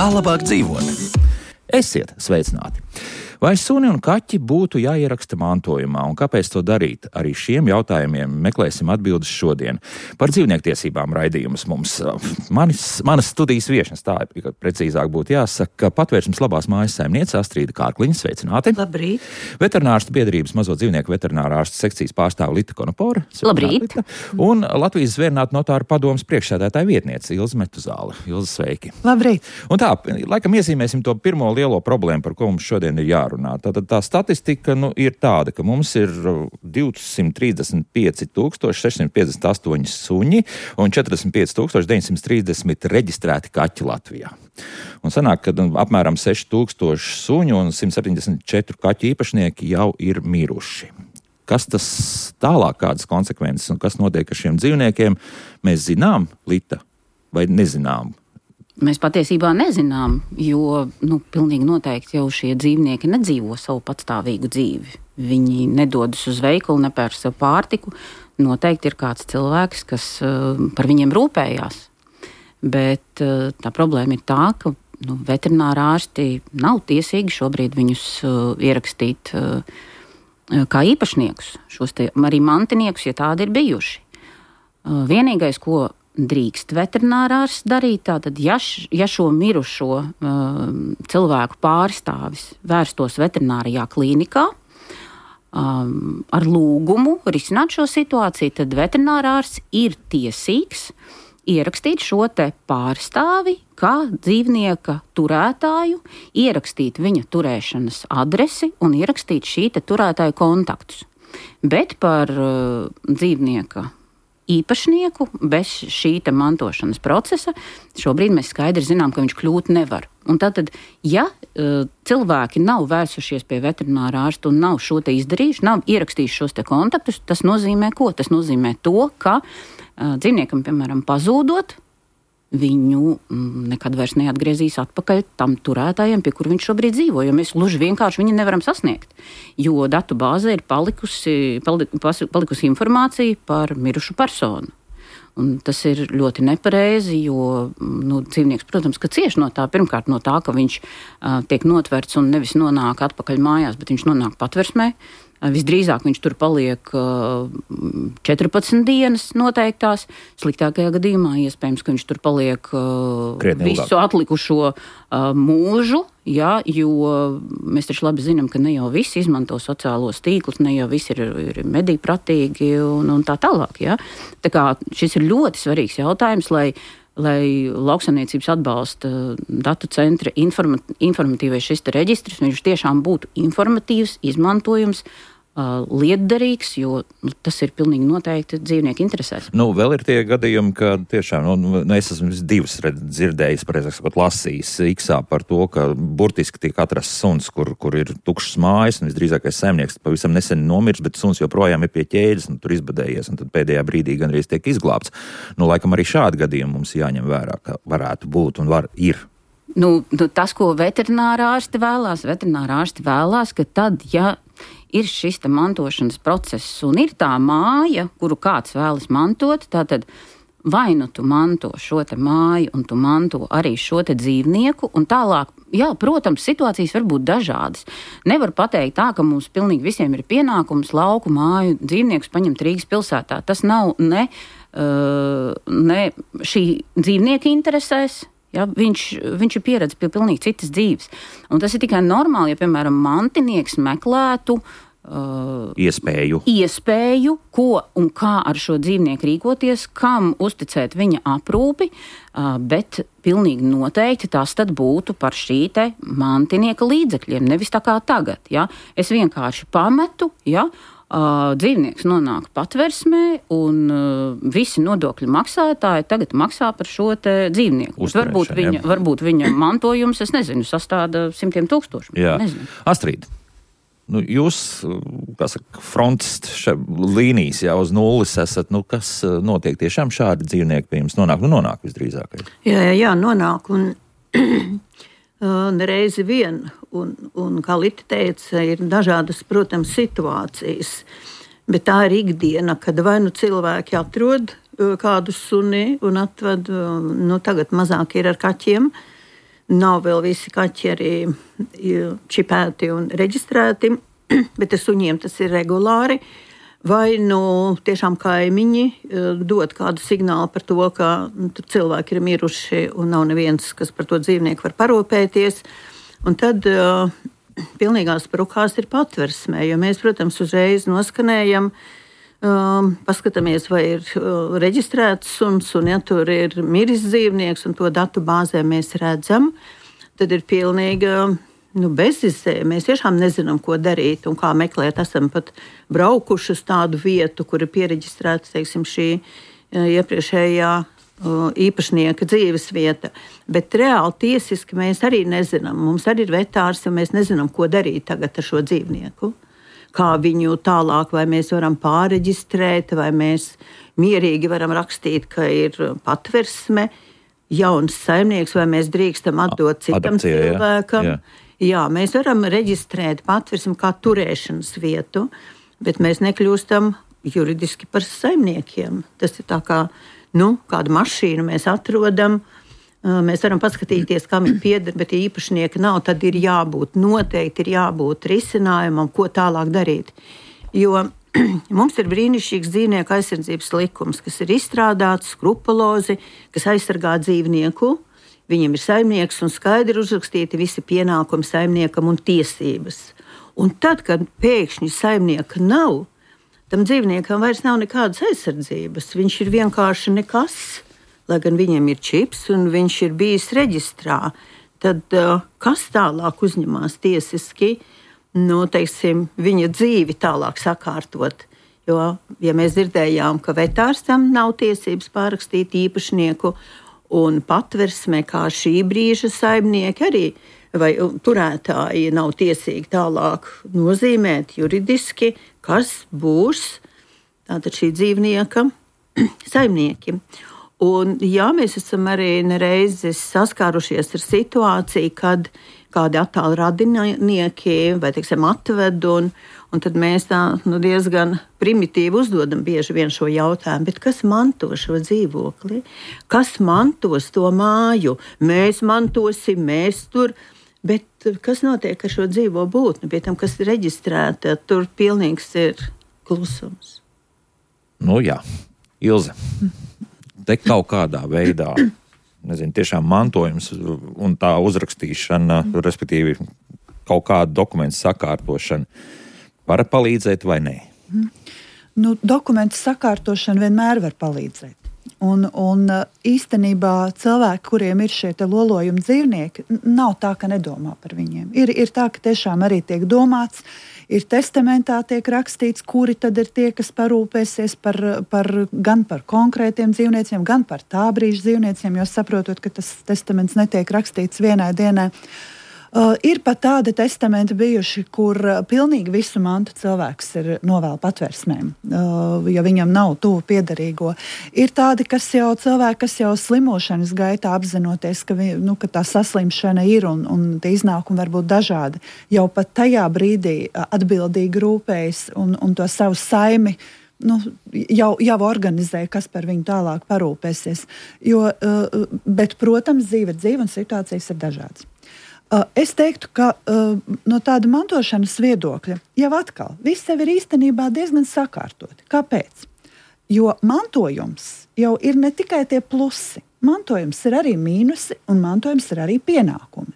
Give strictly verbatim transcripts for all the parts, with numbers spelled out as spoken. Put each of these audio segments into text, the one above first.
Kā labāk dzīvot? Esiet sveicināti! Vai suni un kaķi būtu jāieraksta mantojumā, un kāpēc to darīt? Arī šiem jautājumiem meklēsim atbildes šodien. Par dzīvniektiesībām raidījumus mums manis, manas studijas viešņas, tā precīzāk būtu jāsaka, Patvērsmes labās mājas saimniece Astrīda Kārkliņa, sveicināti. Labrīt. Veterinārstu biedrības mazo dzīvnieku veterinārā ārstu sekcijas pārstāve Lita Konopore. Labrīt. Lita. Un Latvijas zvērinātu notāru padomes priekšsēdētāja vietniece Ilze Metuzāle. Ilze, sveiki. Labrīt. Un tā, laikam iezīmēsim to pirmo lielo problēmu, par ko mums šodien ir jārunā. Tātad tā statistika nu, ir tāda, ka mums ir divsimt trīsdesmit pieci tūkstoši sešsimt piecdesmit astoņi suņi un četrdesmit pieci tūkstoši deviņsimt trīsdesmit reģistrēti kaķi Latvijā. Un sanāk, ka nu, apmēram seši tūkstoši suņu un simt septiņdesmit četri kaķu īpašnieki jau ir miruši. Kas tas tālāk, kādas konsekvences un kas notiek ar šiem dzīvniekiem, mēs zinām, Lita, vai nezinām? Mēs patiesībā nezinām, jo nu, pilnīgi noteikti jau šie dzīvnieki nedzīvo savu patstāvīgu dzīvi. Viņi nedodas uz veikalu, nepērk sev pārtiku. Noteikti ir kāds cilvēks, kas uh, par viņiem rūpējās. Bet uh, tā problēma ir tā, ka nu, veterinārā ārsti nav tiesīgi šobrīd viņus uh, ierakstīt uh, kā īpašniekus, šos te arī mantiniekus, ja tādi ir bijuši. Uh, vienīgais, ko drīkst veterinārārs darīt, tātad, ja, š, ja šo mirušo uh, cilvēku pārstāvis vērstos veterinārijā klīnikā um, ar lūgumu risināt šo situāciju, tad veterinārārs ir tiesīgs ierakstīt šo te pārstāvi kā dzīvnieka turētāju, ierakstīt viņa turēšanas adresi un ierakstīt šī te turētāju kontaktus. Bet par uh, dzīvnieka īpašnieku bez šī te mantošanas procesa šobrīd mēs skaidri zinām, ka viņš kļūt nevar. Un tātad, ja uh, cilvēki nav vērsušies pie veterinārā ārsta un nav šo te izdarījuši, nav ierakstījuši šos te kontaktus, tas nozīmē ko? Tas nozīmē to, ka uh, dzīvniekam, piemēram, pazūdot, viņu mm, nekad vairs neatgriezīs atpakaļ tam turētājiem, pie kur viņš šobrīd dzīvo, jo mēs gluži vienkārši viņu nevaram sasniegt, jo datu bāzē ir palikusi, palikusi informācija par mirušu personu. Un tas ir ļoti nepareizi, jo nu, dzīvnieks, protams, ka cieš no tā, pirmkārt no tā, ka viņš uh, tiek notverts un nevis nonāk atpakaļ mājās, bet viņš nonāk patversmē. Visdrīzāk viņš tur paliek uh, četrpadsmit dienas noteiktās. Sliktākajā gadījumā iespējams, ka viņš tur paliek uh, visu atlikušo uh, mūžu, ja, jo mēs taču labi zinām, ka ne jau visi izmanto sociālos tīklus, ne jau visi ir, ir medijpratīgi un, un tā tālāk. Ja. Tā kā šis ir ļoti svarīgs jautājums, lai lai lauksaimniecības atbalsta datu centra informa- informatīvais šis te reģistrs, viņš tiešām būtu informatīvs, izmantojums, uh, lietderīgs, jo nu, tas ir pilnīgi noteikti dzīvnieku interesēs. Nu, vēl ir tie gadījumi, ka tiešām, nu, es esmu divas dzirdējis, pareizāk sakot, lasījis Iksā par to, ka burtiski tiek atrasts suns, kur, kur ir tukšas mājas, un visdrīzākais saimnieks pavisam nesen nomirs, bet suns joprojām ir pie ķēdes, un tur izbadējies, un tad pēdējā brīdī gandrīz tiek izglābts. Nu, laikam arī šādi gadījumi mums jāņem vērā, ka varētu būt un var, ir. Nu, tas, ko veterinārā ārsti vēlās, veterinārā ārsti vēlās, ka tad, ja ir šis te mantošanas process un ir tā māja, kuru kāds vēlas mantot, tātad vai nu tu manto šo te māju un tu manto arī šo te dzīvnieku un tālāk, jā, protams, situācijas var būt dažādas. Nevar pateikt tā, ka mums pilnīgi visiem ir pienākums lauku māju dzīvniekus paņemt Rīgas pilsētā. Tas nav ne, uh, ne šī dzīvnieka interesēs. Ja, viņš, viņš ir pieredzis pie pilnīgi citas dzīves. Un tas ir tikai normāli, ja, piemēram, mantinieks meklētu uh, iespēju. iespēju, ko un kā ar šo dzīvnieku rīkoties, kam uzticēt viņa aprūpi, uh, bet pilnīgi noteikti tas tad būtu par šī te mantinieka līdzekļiem, nevis tā kā tagad. Ja. Es vienkārši pametu, ja, Uh, dzīvnieks nonāk patversmē un uh, visi nodokļu maksātāji tagad maksā par šo te dzīvnieku. Varbūt viņa, varbūt viņa mantojums, es nezinu, sastāda simtiem tūkstoši. Jā. Astrīd, nu, jūs, kā saka, fronts līnijas jau uz nulles esat, nu, kas notiek tiešām šādi dzīvnieki pie jums nonāk? Nu, nonāk visdrīzākais. Jā, jā, jā, nonāk un nereizi vien, un, un kā Lita teica, ir dažādas, protams, situācijas, bet tā ir ikdiena, kad vai nu cilvēki atrod kādu suni un atved, nu tagad mazāk ir ar kaķiem, nav vēl visi kaķi arī čipēti un reģistrēti, bet ar suņiem tas ir regulāri. Vai nu tiešām kaimiņi dod kādu signālu par to, ka nu, cilvēki ir miruši un nav neviens, kas par to dzīvnieku var parūpēties. Un tad uh, pilnīgās sprukās ir patversmē, jo mēs, protams, uzreiz noskanējam, um, paskatāmies, vai ir uh, reģistrēts suns, un ja tur ir miris dzīvnieks, un to datu bāzē mēs redzam, tad ir pilnīga nu, bezizē. Mēs tiešām nezinām, ko darīt un kā meklēt. Esam pat braukuši uz tādu vietu, kur ir piereģistrēta, teiksim, šī iepriekšējā īpašnieka dzīves vieta. Bet reāli tiesiski mēs arī nezinām. Mums arī ir vetārs, un mēs nezinām, ko darīt tagad ar šo dzīvnieku. Kā viņu tālāk, vai mēs varam pāreģistrēt, vai mēs mierīgi varam rakstīt, ka ir patversme, jauns saimnieks, vai mēs drīkstam atdot citam Adopcija, cilvēkam. Jā, jā. Jā, mēs varam reģistrēt patversmi kā turēšanas vietu, bet mēs nekļūstam juridiski par saimniekiem. Tas ir tā kā, nu, kādu mašīnu mēs atrodam, mēs varam paskatīties, kam ir pieder, bet ja īpašnieka nav, tad ir jābūt, noteikti ir jābūt risinājumam, ko tālāk darīt. Jo mums ir brīnišķīgs dzīvnieku aizsardzības likums, kas ir izstrādāts skrupulozi, kas aizsargā dzīvnieku. Viņam ir saimnieks un skaidri uzrakstīti visi pienākumi saimniekam un tiesības. Un tad, kad pēkšņi saimnieka nav, tam dzīvniekam vairs nav nekādas aizsardzības. Viņš ir vienkārši nekas, lai gan viņam ir čips un viņš ir bijis reģistrā. Tad kas tālāk uzņemās tiesiski, nu, teiksim, viņa dzīvi tālāk sakārtot? Jo, ja mēs dzirdējām, ka vetārstam nav tiesības pārrakstīt īpašnieku, un patversmē, kā šī brīža saimnieki arī, vai turētāji nav tiesīgi tālāk nozīmēt juridiski, kas būs tātad šī dzīvnieka saimnieki. Un jā, mēs esam arī nereizes saskārušies ar situāciju, kad kādi attāli radinieki vai, teiksim, atved, un, un tad mēs tā nu, diezgan primitīvi uzdodam bieži vien šo jautājumu, bet kas manto šo dzīvokli? Kas mantos to māju? Mēs mantosim, mēs tur, bet kas notiek ar šo dzīvo būtni? Pie tam, kas ir reģistrēta, tur pilnīgs ir klusums. Nu jā, Ilze, te kaut kādā veidā, nezinu, tiešām mantojums un tā uzrakstīšana, respektīvi kaut kāda dokumentu sakārtošana, var palīdzēt vai nē? Nu, dokumentu sakārtošana vienmēr var palīdzēt. Un, un īstenībā cilvēki, kuriem ir šie te lolojumi dzīvnieki, nav tā, ka nedomā par viņiem. Ir, ir tā, ka tiešām arī tiek domāts, ir testamentā tiek rakstīts, kuri tad ir tie, kas parūpēsies par, par, gan par konkrētiem dzīvnieciem, gan par tā brīža dzīvnieciem, jo saprotot, ka tas testaments netiek rakstīts vienai dienai. Uh, ir pat tādi testamenti bijuši, kur uh, pilnīgi visu mantu cilvēks ir novēl patversmēm, uh, ja viņam nav tuvu piederīgo. Ir tādi, kas jau cilvēki, kas jau slimošanas gaitā apzinoties, ka, vi, nu, ka tā saslimšana ir un, un tie iznākumi var būt dažādi, jau pat tajā brīdī uh, atbildīgi rūpējas un, un to savu saimi nu, jau, jau organizē, kas par viņu tālāk parūpēsies. Jo, uh, bet, protams, dzīve ir dzīve un situācijas ir dažādas. Es teiktu, ka uh, no tāda mantošanas viedokļa jau atkal viss sev ir īstenībā diezgan sakārtoti. Kāpēc? Jo mantojums jau ir ne tikai tie plusi. Mantojums ir arī mīnusi un mantojums ir arī pienākumi.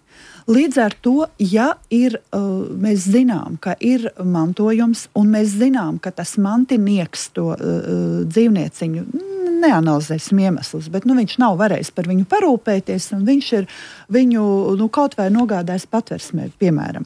Līdz ar to, ja ir, uh, mēs zinām, ka ir mantojums un mēs zinām, ka tas mantinieks to uh, dzīvnieciņu, neanalizēsim iemeslus, bet nu, viņš nav varējis par viņu parūpēties un viņš ir viņu nu, kaut vai nogādājis patversmē, piemēram.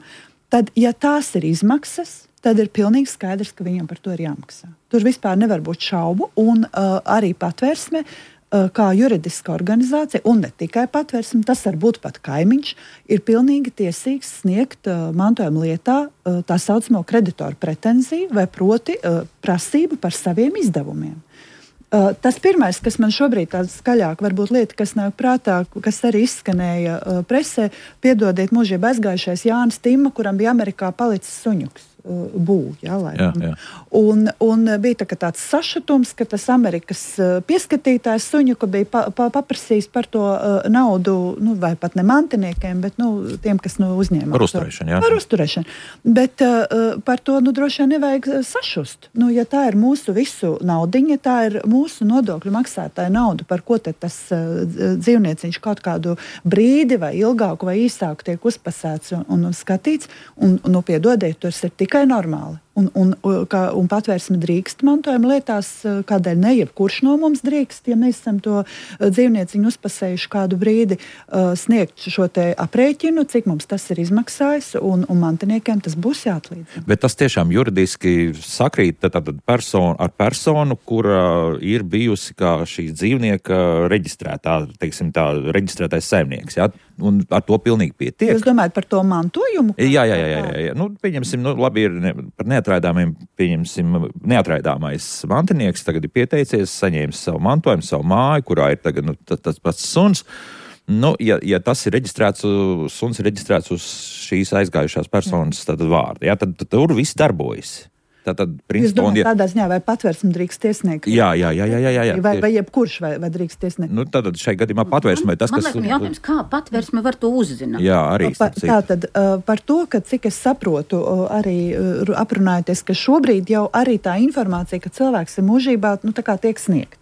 Tad, ja tās ir izmaksas, tad ir pilnīgi skaidrs, ka viņam par to ir jāmaksā. Tur vispār nevar būt šaubu un uh, arī patversme uh, kā juridiska organizācija, un ne tikai patversme, tas var būt pat kaimiņš, ir pilnīgi tiesīgs sniegt uh, mantojuma lietā uh, tā saucamo kreditoru pretenziju vai proti uh, prasību par saviem izdevumiem. Uh, tas pirmais, kas man šobrīd tāds skaļāk, varbūt lieta, kas nāk prātā, kas arī izskanēja uh, presē, piedodiet mūžībā aizgājušais Jānis Timma, kuram bija Amerikā palicis suņuks. uh, bū. Ja, jā, jā. Un, un bija tā, tāds sašutums, ka tas Amerikas uh, pieskatītājs suņu, ka bija pa, pa, paprasījis par to uh, naudu, nu, vai pat ne mantiniekiem, bet nu, tiem, kas nu, uzņēma. Par uzturēšanu, jā. Par uzturēšanu. Bet uh, par to nu, droši vien nevajag sašust. Nu, ja tā ir mūsu visu naudiņa, tā ir mūsu nodokļu maksātāja nauda, par ko tad tas uh, dzīvnieciņš kaut kādu brīdi vai ilgāku vai īsāku tiek uzpasēts un, un skatīts, un, un nu, piedodiet, tas ir tikai normāli. Un, un, kā, un patvērsme drīkst mantojuma lietās, kādēļ ne jebkurš no mums drīkst, ja mēs esam to dzīvnieciņu uzpasējuši kādu brīdi, sniegt šo te aprēķinu, cik mums tas ir izmaksājis, un, un mantiniekiem tas būs jāatlīdzina. Bet tas tiešām juridiski sakrīt tad personu, ar personu, kura ir bijusi kā šī dzīvnieka reģistrētā, teiksim tā, reģistrētais saimnieks, jā? Un ar to pilnīgi pietiek. Jūs domājat par to mantojumu? Jā, jā, jā, jā, jā. Nu, pieņemsim, nu, labi ir ne, par neatraidāmiem, pieņemsim, neatraidāmais mantinieks tagad ir pieteicies, saņēmis savu mantojumu, savu māju, kurā ir tagad nu, tas, tas pats suns. Nu, ja, ja tas ir reģistrēts, suns ir reģistrēts uz šīs aizgājušās personas tad vārdu, jā, tad, tad tur viss darbojas. Tātad, Jūs domājat, ja... tādā ziņā, vai patvērsme drīkst tiesniegt? Jā, jā, jā, jā, jā, jā. Vai, vai jebkurš vai, vai drīkst tiesniegt? Nu, tātad šai gadījumā patvērsme, tas, man, kas... Man liekas, jautājums, kā patvērsme var to uzzināt? Jā, arī. Pa, tātad par to, ka cik es saprotu, arī aprunājoties, ka šobrīd jau arī tā informācija, ka cilvēks ir mūžībā, nu tā kā tiek sniegt.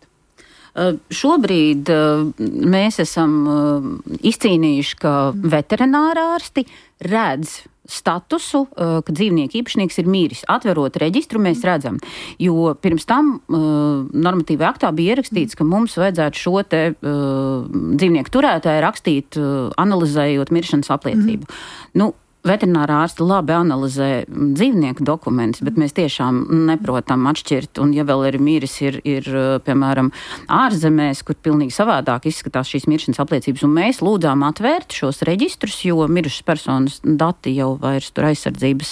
Uh, šobrīd uh, mēs esam uh, izcīnījuši, ka veterinārārsti redz statusu, uh, ka dzīvnieku īpašnieks ir mīris. Atverot reģistru, mēs redzam, jo pirms tam uh, normatīvā aktā bija ierakstīts, ka mums vajadzētu šo te uh, dzīvnieku turētāju rakstīt, uh, analizējot miršanas apliecību. Mm. Nu, veterinārā ārsti labi analizē dzīvnieku dokumentus, bet mēs tiešām neprotam atšķirt. Un, ja vēl ir miris, ir, ir piemēram, ārzemēs, kur pilnīgi savādāk izskatās šīs miršanas apliecības. Un mēs lūdzām atvērt šos reģistrus, jo mirušas personas dati jau vairs tur aizsardzības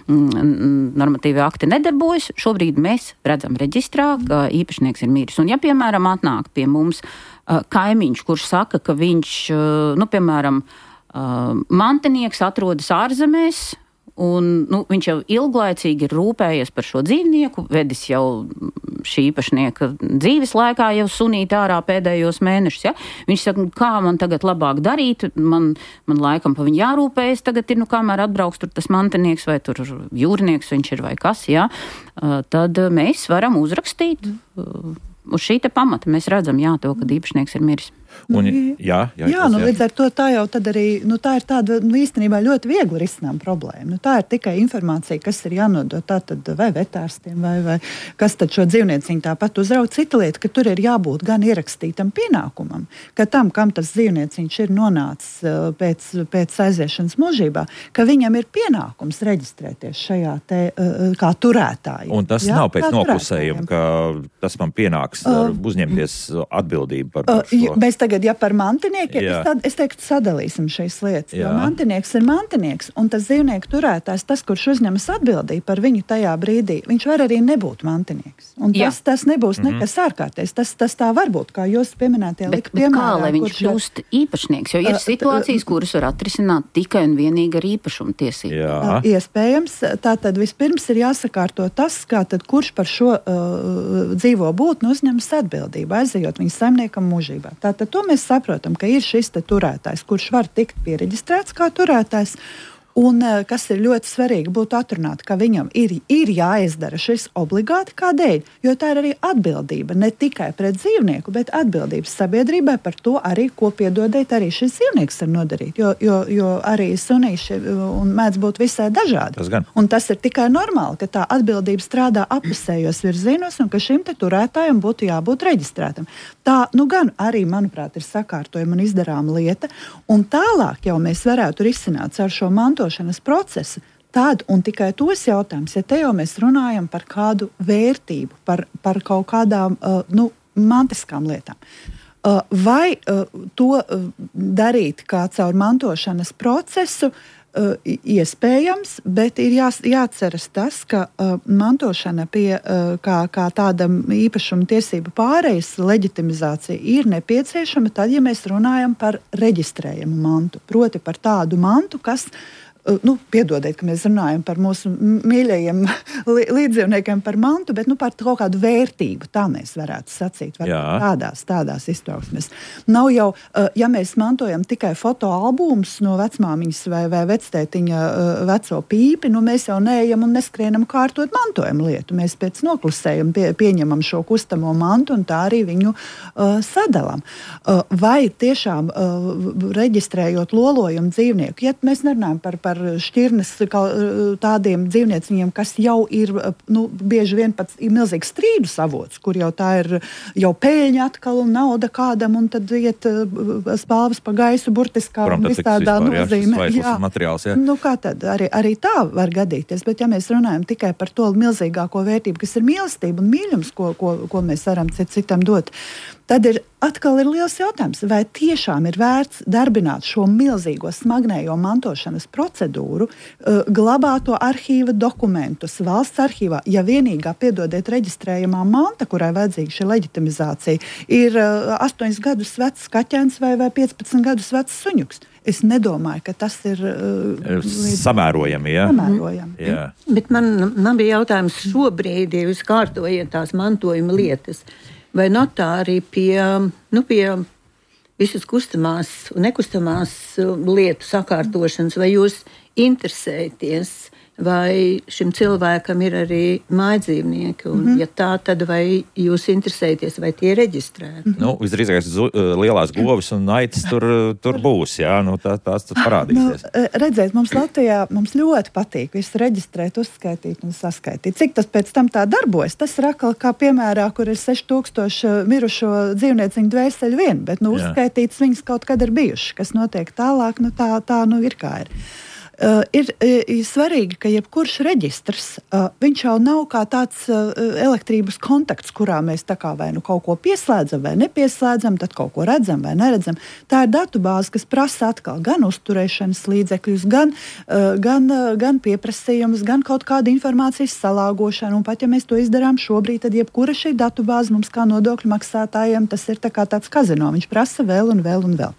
normatīvi akti nedarbojas. Šobrīd mēs redzam reģistrā, ka īpašnieks ir miris. Un, ja, piemēram, atnāk pie mums kaimiņš, kurš saka, ka viņš, nu, piemēram, Uh, mantinieks atrodas ārzemēs, un nu, viņš jau ilglaicīgi ir rūpējies par šo dzīvnieku, vedis jau šī īpašnieka dzīves laikā jau sunīt ārā pēdējos mēnešus. Ja? Viņš saka, kā man tagad labāk darīt, man, man laikam pa viņu jārūpējas, tagad ir, nu, kamēr atbrauks tur tas mantinieks vai tur jūrnieks viņš ir vai kas, ja? uh, tad mēs varam uzrakstīt uh, uz šī te pamata. Mēs redzam, jā, to, kad īpašnieks ir miris. Un, jā, jā, jā, nu, līdz ar to tā jau tad arī, nu, tā ir tāda, nu, īstenībā ļoti viegli risinām problēma. Nu, tā ir tikai informācija, kas ir jānodot tātad vai vetārstiem, vai, vai kas tad šo dzīvnieciņu tāpat uzraud. Cita lieta, ka tur ir jābūt gan ierakstītam pienākumam, ka tam, kam tas dzīvnieciņš ir nonācis pēc, pēc aiziešanas mūžībā, ka viņam ir pienākums reģistrēties šajā te kā turētāji. Un tas jā, nav pēc noklusējuma, ka tas man pienāks uh, uzņemties atbildību par, par šo. Uh, Tagad, ja par mantiniekiem, es, tad, es teiktu, sadalīsim šīs lietas. Jā. Jo mantinieks ir mantinieks, un tas dzīvnieku turētājs, tas, kurš uzņemas atbildību par viņu tajā brīdī, viņš var arī nebūt mantinieks. Un tas, tas nebūs mm-hmm. nekas ārkārtējs. Tas, tas tā var būt, kā jūs pieminētie lika piemērā. Bet kā, lai viņš kļūst īpašnieks? Jo ir uh, situācijas, kuras var atrisināt tikai un vienīgi ar īpašumu tiesību. Jā. Iespējams. Tātad vispirms ir jāsakārto tas, kā tad kurš par šo uh, dzīvo būtni uzņemas atbildību, aizejot viņa saimniekam mūžībā. Tātad to mēs saprotam, ka ir šis te turētājs, kurš var tikt piereģistrēts kā turētājs. Un kas ir ļoti svarīgi būtu atrunāt, ka viņam ir, ir jāizdara šis obligāti kādēļ, jo tā ir arī atbildība ne tikai pret dzīvnieku, bet atbildības sabiedrībai par to arī, ko piedodiet arī šis dzīvnieks var nodarīt, jo, jo, jo arī sunīši un mēdz būt visai dažādi. Tas un tas ir tikai normāli, ka tā atbildība strādā apusējos virzienos un ka šim te turētājam būtu jābūt reģistrētam. Tā, nu gan arī, manuprāt, ir sakārtojama un izdarāma lieta, un tālāk jau mēs varētu risināt ar šo mantošanas procesu. Tad un tikai tos jautājums, ja te jau mēs runājam par kādu vērtību, par, par kaut kādām uh, nu, mantiskām lietām. Uh, vai uh, to uh, darīt kā caur mantošanas procesu, uh, iespējams, bet ir jā, jāatceras tas, ka uh, mantošana pie uh, kā, kā tāda īpašuma tiesību pārejas leģitimizācija ir nepieciešama tad, ja mēs runājam par reģistrējumu mantu, proti par tādu mantu, kas Nu, piedodiet, ka mēs runājam par mūsu mīļajiem līdzdzīvniekiem par mantu, bet nu, par kaut kādu vērtību, tā mēs varētu sacīt, tādās, tādās iztrauksmes. Nav jau, ja mēs mantojam tikai fotoalbumus no vecmāmiņas vai, vai vectētiņa veco pīpi, nu mēs jau neejam un neskrienam kārtot mantojam lietu. Mēs pēc noklusējam, pie, pieņemam šo kustamo mantu un tā arī viņu uh, sadalam. Uh, vai tiešām uh, reģistrējot lolojumu dzīvnieku, ja mēs nerunājam par, par par šķirnes tādiem dzīvnieciņiem, kas jau ir, nu, bieži vien pat ir milzīgs strīdu avots, kur jau tā ir jau pēļņa atkal un nauda kādam, un tad iet spāvas pa gaisu burtiskā un vistādā nozīmē. Jā, materiāls, jā. Nu, kā tad? Arī, arī tā var gadīties, bet ja mēs runājam tikai par to milzīgāko vērtību, kas ir mīlestība un mīļums, ko, ko, ko mēs varam cit, citam dot, tad ir atkal ir liels jautājums, vai tiešām ir vērts darbināt šo milzīgo smagnējo mantošanas procedūru, uh, glabāt to arhīva dokumentus valsts arhīvā, ja vienīgā, piedodiet, reģistrējamā manta, kurai vajadzīga šī leģitimizācija, ir uh, astoņus gadus vecs kaķēns vai, vai piecpadsmit gadus vecs suņuks. Es nedomāju, ka tas ir uh, samērojami, ja? Samērojami. Jā. Bet man, man bija jautājums šobrīd, ja jūs kārtojat tās mantojuma lietas, vai notāri pie, nu, pie visas kustamās un nekustamās lietu sakārtošanas, vai jūs interesēties, vai šim cilvēkam ir arī mājdzīvnieki, un mm-hmm. ja tā, tad vai jūs interesēties, vai tie ir reģistrēti? Mm-hmm. Nu, visdrīzākais lielās govis un aitas tur, tur būs, jā, nu tā, tās tur parādīsies. Nu, redzēt, mums Latvijā mums ļoti patīk visu reģistrēt, uzskaitīt un saskaitīt. Cik tas pēc tam tā darbojas? Tas ir atkal kā piemērā, kur ir seši tūkstoši mirušo dzīvnieciņu dvēseli vien, bet nu, uzskaitīts viņas kaut kad ir bijuši, kas notiek tālāk, nu tā, tā nu ir kā ir. Uh, ir, ir svarīgi, ka jebkurš reģistrs, uh, viņš jau nav kā tāds uh, elektrības kontakts, kurā mēs tā kā vai nu kaut ko pieslēdzam vai nepieslēdzam, tad kaut ko redzam vai neredzam. Tā ir datubāze, kas prasa atkal gan uzturēšanas līdzekļus, gan, uh, gan, uh, gan pieprasījumus, gan kaut kādu informācijas salāgošanu. Un pat ja mēs to izdarām šobrīd, tad jebkura šī datubāze mums kā nodokļu maksātājiem, tas ir tā kā tāds kazino. Viņš prasa vēl un vēl un vēl.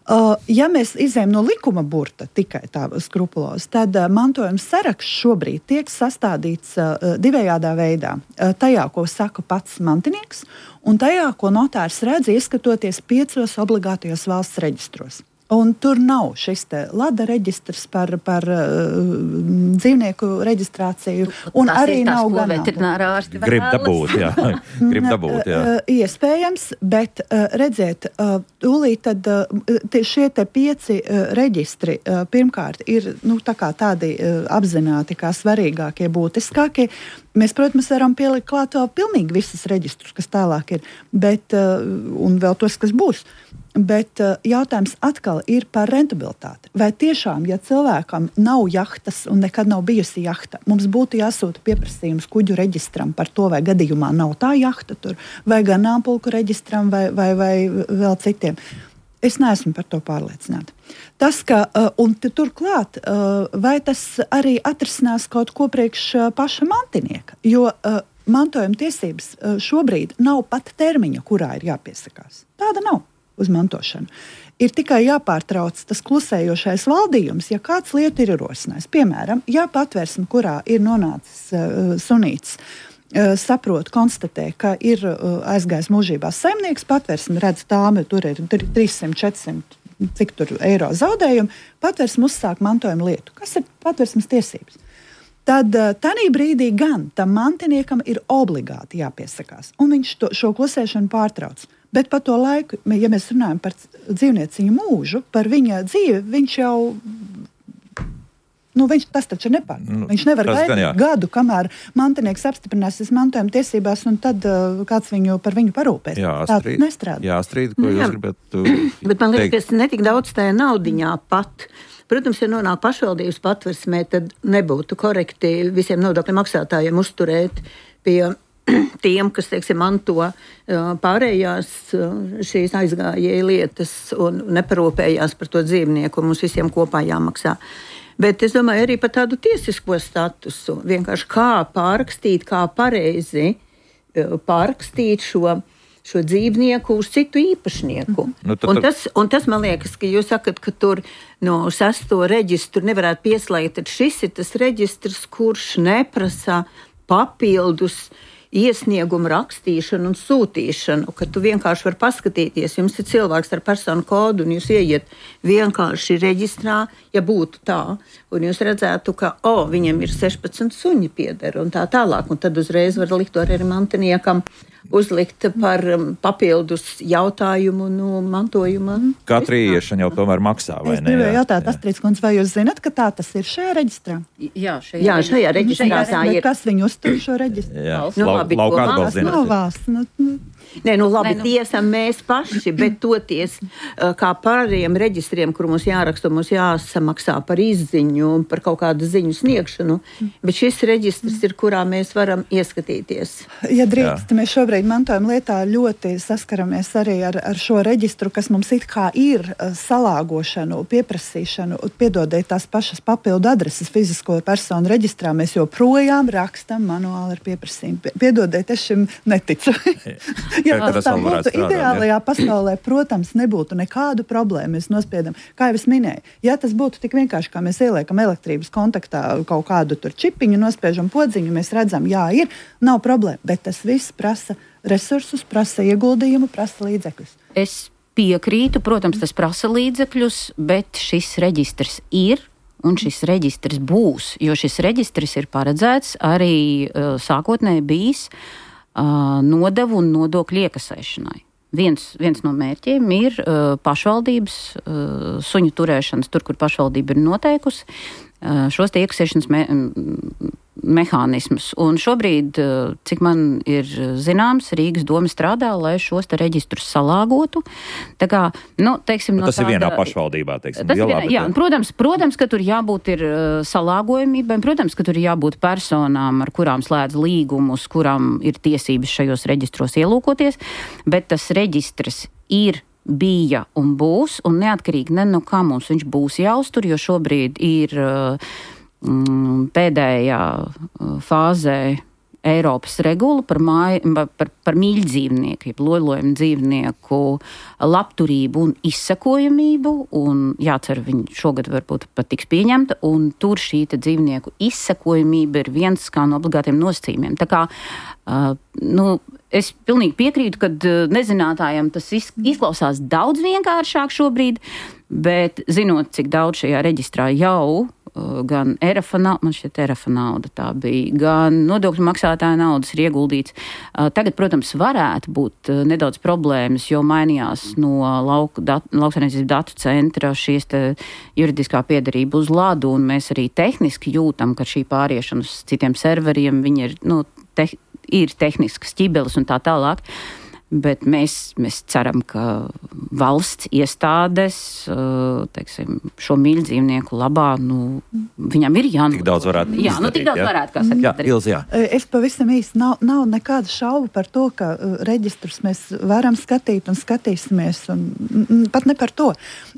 Uh, ja mēs izējam no likuma burta tikai tā skrupulos, tad uh, mantojuma saraksts šobrīd tiek sastādīts uh, divējādā veidā. Uh, tajā, ko saka pats mantinieks, un tajā, ko notārs redz, ieskatoties piecos obligātajos valsts reģistros. Un tur nav šis te lada reģistrs par, par uh, dzīvnieku reģistrāciju. Un tas arī ir tas, nav ko gan veterinārā ārsti Grib dabūt, jā. Grib dabūt, jā. Uh, iespējams, bet uh, redziet, uh, tūlīt tad uh, tie, šie te pieci uh, reģistri uh, pirmkārt ir nu, tā kā tādi uh, apzināti kā svarīgākie, būtiskākie. Mēs, protams, varam pielikt klāt vēl pilnīgi visas reģistrus, kas tālāk ir, bet, uh, un vēl tos, kas būs. Bet uh, jautājums atkal ir par rentabilitāti. Vai tiešām, ja cilvēkam nav jahtas un nekad nav bijusi jahta, mums būtu jāsūta pieprasījums kuģu reģistram par to, vai gadījumā nav tā jahta tur, vai ganāmpulku reģistram, vai, vai, vai vēl citiem. Es neesmu par to pārliecināta. Tas, ka, uh, un turklāt, uh, vai tas arī atrisinās kaut ko priekš uh, paša mantinieka, jo uh, mantojuma tiesības uh, šobrīd nav pat termiņa, kurā ir jāpiesakās. Tāda nav uz mantošanu. Ir tikai jāpārtrauc tas klusējošais valdījums, ja kāds lietu ir ierosinājis. Piemēram, ja patvērsme, kurā ir nonācis uh, sunīts, uh, saprot, konstatē, ka ir uh, aizgājis mūžībā saimnieks, patvērsme redz tāmi, tur ir trīssimt, četrsimt, cik tur eiro zaudējumi, patvērsme uzsāk mantojuma lietu. Kas ir patvērsmes tiesības? Tad tādā brīdī gan tam mantiniekam ir obligāti jāpiesakās, un viņš to, šo klusēšanu pārtrauc. Bet par to laiku, ja mēs runājam par dzīvnieciņu mūžu, par viņa dzīvi, viņš jau, nu, viņš, tas taču nepār. Nu, viņš nevar gaidīt gadu, kamēr mantinieks apstiprināsies mantojuma tiesībās, un tad uh, kāds viņu par viņu parūpēs. Jā, strīd, tā nestrādā. Jā, strīd, ko jūs gribat uh, Bet man liekas, ka netik daudz tajā naudiņā pat. Protams, ja nonāk pašvaldības patversmē, tad nebūtu korekti visiem nodokļu maksātājiem uzturēt pie tiem, kas, teiksim, manto pārējās šīs aizgājēja lietas un neparūpējās par to dzīvnieku, mums visiem kopā jāmaksā. Bet es domāju arī par tādu tiesisko statusu, vienkārši kā pārrakstīt, kā pareizi pārrakstīt šo, šo dzīvnieku uz citu īpašnieku. Nu, tad, un, tas, un tas, man liekas, ka jūs sakat, ka tur no sesto reģistru nevarētu pieslēgt, tad šis ir tas reģistrs, kurš neprasa papildus iesniegumu rakstīšanu un sūtīšanu, ka tu vienkārši vari paskatīties, jums ir cilvēks ar personu kodu un jūs ieiet vienkārši reģistrā, ja būtu tā, un jūs redzētu, ka, o, viņam ir sešpadsmit suņi pieder un tā tālāk, un tad uzreiz var likt to arī mantiniekam uzlikt par um, papildus jautājumu no mantojuma. Katra ieiešana jau tomēr maksā, vai es ne? Es gribēju jautāt, Astrid kundze, vai jūs zināt, ka tā tas ir šajā reģistrā? Jā, šajā, Jā, šajā reģistrā tā ir. Kas viņu uztur šo reģistru? Jā, nu, lau, labi, lauka atbalsts no valsts. Nu, nu. Nē, nu labi, Nē, nu. tiesam mēs paši, bet toties kā pārējiem reģistriem, kur mums jāraksta, mums jāsamaksā par izziņu, par kaut kādu ziņu sniegšanu, bet šis reģistrs ir, kurā mēs varam ieskatīties. Ja drīkst, mēs šobrīd mantojuma lietā ļoti saskaramies arī ar, ar šo reģistru, kas mums it kā ir salāgošanu, pieprasīšanu, piedodiet tās pašas papildu adreses fizisko personu reģistrā, mēs joprojām rakstam manuāli ar pieprasījumu. Piedodiet, es šim neticu. Ja tas tā būtu ideālajā pasaulē, protams, nebūtu nekādu problēmu. Mēs nospiedam, kā jau es minēju, ja tas būtu tik vienkārši, kā mēs ieliekam elektrības kontaktā kaut kādu tur čipiņu, nospiežam podziņu, mēs redzam, jā, ir, nav problēma, bet tas viss prasa resursus, prasa ieguldījumu, prasa līdzekļus. Es piekrītu, protams, tas prasa līdzekļus, bet šis reģistrs ir. Un šis reģistrs būs, jo šis reģistrs ir paredzēts arī uh, sākotnēji bijis uh, nodevu un nodokļu iekasēšanai. Viens, viens no mērķiem ir uh, pašvaldības uh, suņu turēšanas, tur, kur pašvaldība ir noteikusi, uh, šos tie iekasēšanas me, mehānismus. Un šobrīd, uh, cik man ir zināms, Rīgas doma strādā, lai šos te reģistrus salāgotu. Tā kā, nu, teiksim, nu, no tas tāda, ir vienā pašvaldībā, teiksim. Tas Lielā, vienā, jā, bet... protams, protams, ka tur jābūt ir uh, salāgojumībai, protams, ka tur jābūt personām, ar kurām slēdz līgumus, kurām ir tiesības šajos reģistros ielūkoties, bet tas reģistrs ir, bija un būs, un neatkarīgi ne no kā mums viņš būs jāuztur, jo šobrīd ir uh, mm, pēdējā uh, fāzē Eiropas regula par, māju, par, par mīļdzīvnieku, lolojumu dzīvnieku labturību un izsekojamību, un jācer, viņi šogad varbūt pat tiks pieņemta, un tur šī dzīvnieku izsekojamība ir viens kā no obligātiem nosacījumiem. Tā kā, uh, nu, es pilnīgi piekrītu, ka nezinātājiem tas izklausās daudz vienkāršāk šobrīd, bet zinot, cik daudz šajā reģistrā jau gan E R F nauda, man šķiet E R F nauda tā bija, gan nodokļu maksātāja naudas ir ieguldīts. Tagad, protams, varētu būt nedaudz problēmas, jo mainījās no lauku dat, lauksaimniecības datu centra šīs te juridiskā piederība uz ladu, un mēs arī tehniski jūtam, ka šī pāriešana uz citiem serveriem, viņi ir, nu, te, ir tehniskas ķibeles un tā tālāk. Bet mēs, mēs ceram, ka valsts iestādes, teiksim, šo mīļdzīvnieku labā, nu, viņam ir jānodrošina. Tik daudz varētu jā, nu, tik daudz jā. varētu, kā saka. Jā, Ilze, jā. Es pavisam īsti, nav, nav nekāda šauba par to, ka reģistrus mēs varam skatīt un skatīsimies, un pat ne par to.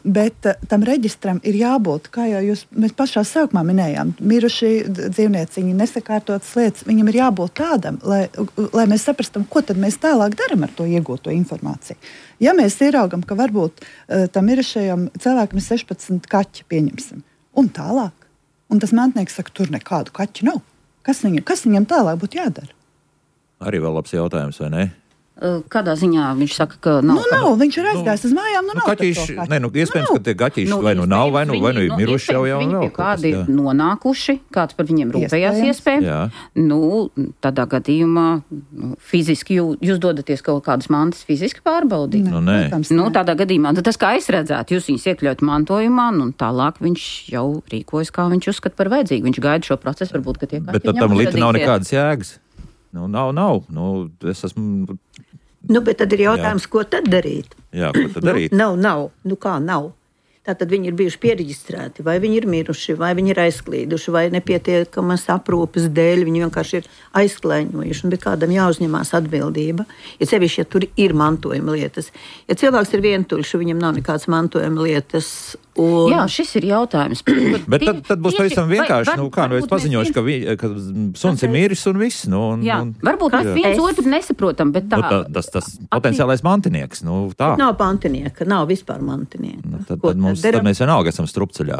Bet tam reģistram ir jābūt, kā jau jūs, mēs pašā sākumā minējām, miruši dzīvnieciņi, nesakārtotas lietas, viņam ir jābūt tādam, lai, lai mēs saprastam, ko tad mēs tālāk daram ar to iegūto informāciju. Ja mēs ieraugam, ka varbūt uh, tam mirušajam cilvēkam ir sešpadsmit kaķi, pieņemsim, un tālāk, un tas mantnieks saka, tur nekādu kaķu nav. Kas viņam, kas viņam tālāk būtu jādara? Arī vēl labs jautājums, vai ne? Kādā ziņā viņš saka, ka nav? Nu, nav, viņš ir aizgājis uz mājām, nu, nu nav. Kaķīši, ne, nu, iespējams, nu, ka tie gaķīši nu, vai nu nav, vai nu, vai nu ir miruši jau jau viņi vēl. Viņi kādi ir nonākuši, kāds par viņiem rūpējās iespējams. Nu, tādā gadījumā nu, fiziski jū, jūs dodaties kaut kādas mantas fiziski pārbaudīt. Nu, nē. Nu, tādā gadījumā, tas kā es redzētu, jūs viņus iekļaut mantojumā, un tālāk viņš jau rīkojas, kā viņš uzskata par vajadzīgu. Viņš gaida šo procesu, varbūt, ka tie kaķi. Bet tam lita nav nekādas jēgas. Nu, nav, nav. Nu, es esmu... Nu, bet tad ir jautājums, jā. Ko tad darīt? Jā, ko tad darīt? Nu, nav, nav. Nu, kā nav? Tātad viņi ir bijuši pieregistrēti, vai viņi ir miruši, vai viņi ir aizklīduši, vai nepietiekamas aprūpes dēļ viņi vienkārši ir aizklēņojuši, bet kādam jāuzņemās atbildība. Ja sevišķi, ja tur ir mantojuma lietas. Ja cilvēks ir vientuļš, viņam nav nekāds mantojuma lietas, Un... Jā, šis ir jautājums. Bet tad, tad būs pavisam vienkārši, nu kā, nu es paziņošu, ka, vi, ka suns ir miris un viss, nu. Un, jā, un, varbūt mēs viens es... otru nesaprotam, bet tā. Nu, tā tas, tas potenciālais mantinieks, nu tā. Nav mantinieka, nav vispār mantinieka. Nu, tad, tad, mums, tad mēs vienalga esam strupceļā.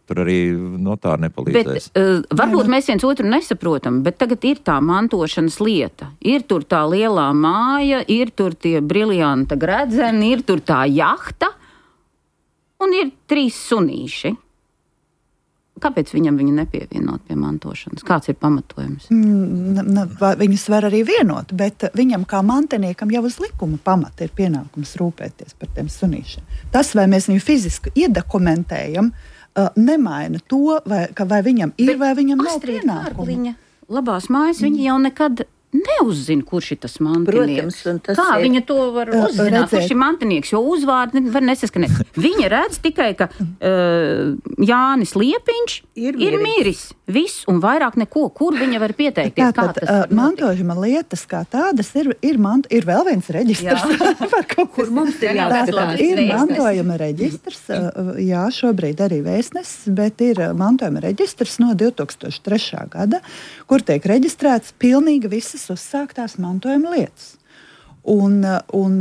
Tur arī notāri nepalīdzēs. Bet, uh, varbūt mēs viens otru nesaprotam, bet tagad ir tā mantošanas lieta. Ir tur tā lielā māja, ir tur tie briljanta gredzeni, ir tur tā jahta. Un ir trīs sunīši. Kāpēc viņam viņu nepievienot pie mantošanas? Kāds ir pamatojums? Mm, viņus var arī vienot, bet viņam kā mantiniekam jau uz likuma pamata ir pienākums rūpēties par tiem sunīšiem. Tas, vai mēs viņu fiziski iedokumentējam, nemaina to, vai, vai viņam ir, bet vai viņam nav pienākumu. Labās mājas, mm. viņi jau nekad neuzzina, kurš ir tas mantinieks. Protams, kā ir... viņa to var uzzināt, redzēt. Kurš ir mantinieks, jo uzvārdi var nesaskanēt. Viņa redz tikai, ka uh, Jānis Liepiņš ir, ir miris. Viss un vairāk neko. Kur viņa var pieteikties? Tātad, uh, mantojuma lietas kā tādas ir, ir, mant, ir vēl viens reģistrs. par kaut kur mums ir jāskatās. Ir mantojuma reģistrs, uh, jā, šobrīd arī vēstnesis, bet ir mantojuma reģistrs no divi tūkstoši trešā gada, kur tiek reģistrēts pilnīgi visas uzsāktās mantojuma lietas. Un, un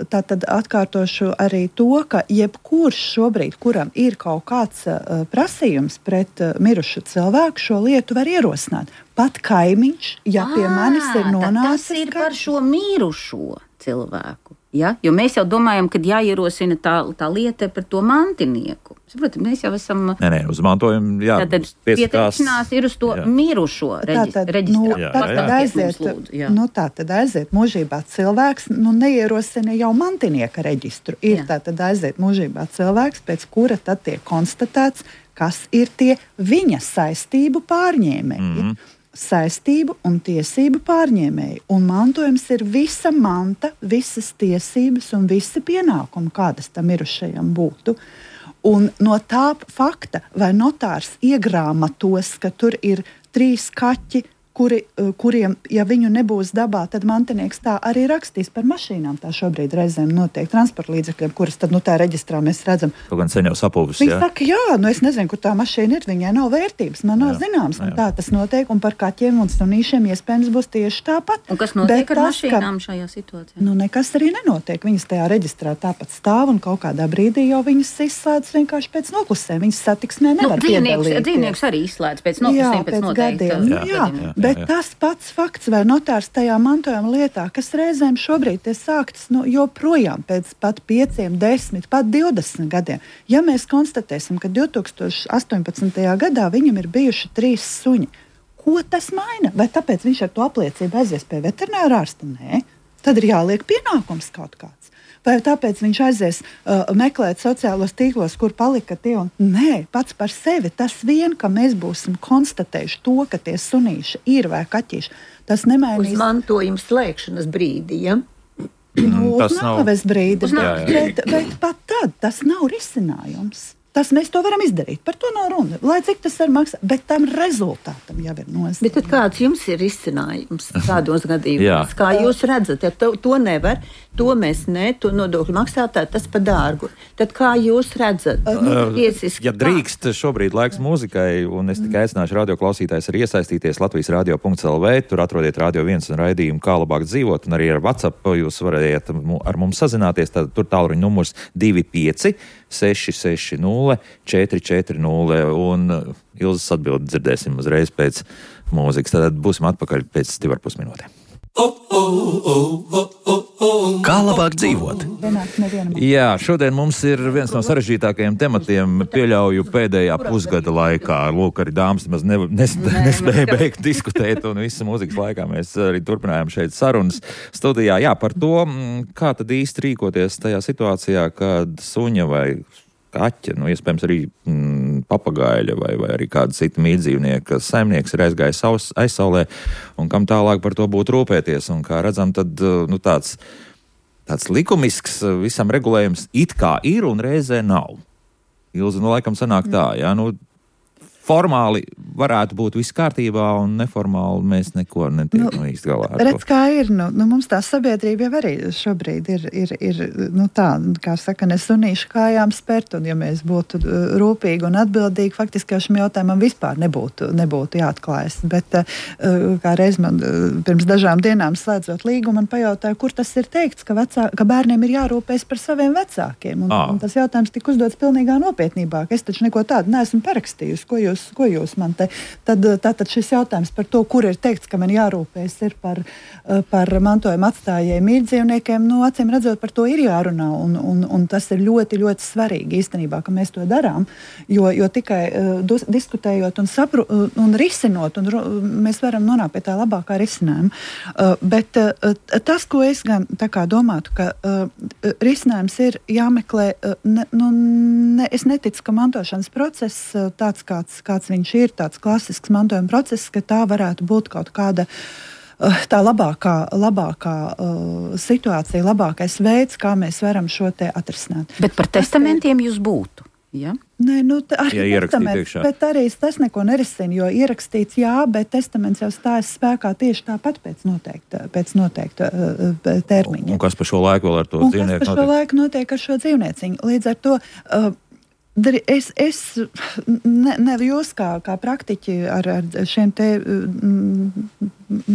tā tad atkārtošu arī to, ka jebkurš šobrīd, kuram ir kaut kāds uh, prasījums pret uh, mirušu cilvēku, šo lietu var ierosināt. Pat kaimiņš, ja pie manis ir nonācis. Tas ir par šo mirušo cilvēku. Ja? Jo mēs jau domājam, ka jāierosina tā, tā lieta par to mantinieku. Protams, mēs jau esam... Nē, nē, uz mantojumu, jā. Tātad pieteikšanās ir uz to jā. mirušo reģistrā. Nu, tātad aiziet, lūdzu, nu, tātad aiziet mūžībā cilvēks, nu neierosina jau mantinieka reģistru. Ir jā. Tātad aiziet mūžībā cilvēks, pēc kura tad tiek konstatēts, kas ir tie viņa saistību pārņēmēji. Mm-hmm. Saistību un tiesību pārņēmēji. Un mantojums ir visa manta, visas tiesības un visi pienākumi, kādas tam mirušajam būtu. Un no tā fakta, vai notārs iegrāmatos, ka tur ir trīs kaķi, kuri, kuriem, ja viņu nebūs dabā, tad mantinieks tā arī rakstīs par mašīnām. Tā šobrīd reizēm notiek transporta līdzekļiem, kuras tad nu tā reģistrā mēs redzam. Kaut gan sen jau sapūvis, Viņi jā. saka, jā, nu es nezinu, kur tā mašīna ir, viņai nav vērtības, man nav jā, zināms, un jā. Tā tas notiek, un par kaķiem un sunīšiem iespējams būs tieši tāpat. Un kas notiek Bet ar tas, mašīnām ka, šajā situācijā? Nu, nekas arī nenotiek. Viņas tajā reģistrā tāpat stāv, un kaut kādā brīdī jau viņas izslēdz vienkārši pēc noklusēm. Viņas satiksmē nevar nu, piedalīties. Dzīvnieks arī izslēdz pēc noklusēm, pēc, pēc noteikta. Jā, jā, jā, bet jā. Tas pats fakts vai notārs tajā mantojuma lietā, kas reizēm šobrīd ir sāktas nu, joprojām pēc pat pieciem, desmit, pat divdesmit gadiem. Ja mēs konstatēsim, ka divi tūkstoši astoņpadsmitajā gadā viņam ir bijuši trīs suņi, ko tas maina? Vai tāpēc viņš ar to apliecību aizies pie veterinārā ārsta? Nē, tad ir jāliek pienākums kaut kāds. Vai tāpēc viņš aizies uh, meklēt sociālos tīklos, kur palika tie un... Nē, pats par sevi. Tas vien, ka mēs būsim konstatējuši to, ka tie sunīši ir vai kaķīši, tas nemainīs... Uz mantojuma slēgšanas brīdi, ja? Nu, uz nāves brīdi, bet, bet, bet pat tad tas nav risinājums. Tas mēs to varam izdarīt. Par to nav runa. Lai cik tas var maksāt, bet tam rezultātam jau ir nozīme. Bet tad kāds jums ir risinājums tādos gadījumos? Kā jūs redzat, ja to, to nevar, to mēs ne, to nodokļu maksātāji, tas pa dārgu. Tad kā jūs redzat? Uh, ja drīkst, šobrīd laiks mūzikai, un es tikai aicināšu radioklausītājs arī iesaistīties Latvijas radio punkts el vē, tur atrodiet Radio viens un raidījumu Kā labāk dzīvot, un arī ar WhatsApp jūs varējāt ar mums sazināties, tad tur tālruņa numurs divi pieci seši seši nulle četri četri nulle, un Ilzas atbildi dzirdēsim uzreiz pēc mūzikas. Tad būsim atpakaļ pēc divar pus minūtēm. Kā labāk dzīvot? Jā, šodien mums ir viens no sarežģītākajiem tematiem, pieļauju pēdējā pusgada laikā. Lūk, arī dāmas maz ne, nes, nespēja beigt diskutēt, un visu mūzikas laikā mēs arī turpinājām šeit sarunas studijā. Jā, par to, kā tad īsti rīkoties tajā situācijā, kad suņa vai kaķa, nu, iespējams arī mm, papagaļa vai, vai arī kāda cita mītdzīvnieka saimnieks ir aizgājis savs, aizsaulē, un kam tālāk par to būtu rūpēties. Un kā redzam, tad nu, tāds, tāds likumisks visam regulējums it kā ir un reizē nav. Ilzi, nu, laikam sanāk tā, jā, nu, formāli varētu būt viss kārtībā un neformāli mēs neko netiek nu, no īsti galā. Redz, kā ir, nu, nu mums tā sabiedrība jau arī šobrīd ir, ir, ir nu tā, kā saka, nesunīšu kājām spērt, un ja mēs būtu rūpīgi un atbildīgi, faktiski jau šim jautājumam vispār nebūtu, nebūtu jāatklājas. Bet kā reiz man pirms dažām dienām slēdzot līgumu, man pajautāja, kur tas ir teikts, ka, vecā, ka bērniem ir jārūpēs par saviem vecākiem. Un, un tas jautājums tika uzdots pilnīgā nopietnībā, ka es taču neko tādu neesmu parakstījusi, ko jūs, ko jūs man te. Tad, tātad šis jautājums par to, kur ir teikts, ka man jārūpēs ir par, par mantojuma atstājējiem mīļdzīvniekiem, nu, acīm redzot, par to ir jārunā, un, un, un tas ir ļoti, ļoti svarīgi īstenībā, ka mēs to darām, jo, jo tikai uh, diskutējot un, sapru, uh, un risinot, un uh, mēs varam nonākt pie tā labākā risinājuma. Uh, bet uh, tas, ko es gan tā kā domātu, ka uh, risinājums ir jāmeklē, uh, ne, nu, ne, es neticu, ka mantošanas process uh, tāds, kāds, kāds viņš ir, tāds klasisks mantojuma process, ka tā varētu būt kaut kāda tā labākā, labākā uh, situācija, labākais veids, kā mēs varam šo te atrisināt. Bet par testamentiem jūs būtu, ja? Nē, nu, arī ja testaments, bet arī tas neko nerisina, jo ierakstīts jā, bet testaments jau stājas spēkā tieši tāpat pēc noteikta, pēc noteikta uh, termiņa. Un, un kas pa šo laiku vēl ar to un dzīvnieku notiek? Un kas pa šo laiku notiek ar šo dzīvnieciņu? Līdz ar to uh, Es, es ne, ne jūs kā, kā praktiķi ar, ar šiem te mm,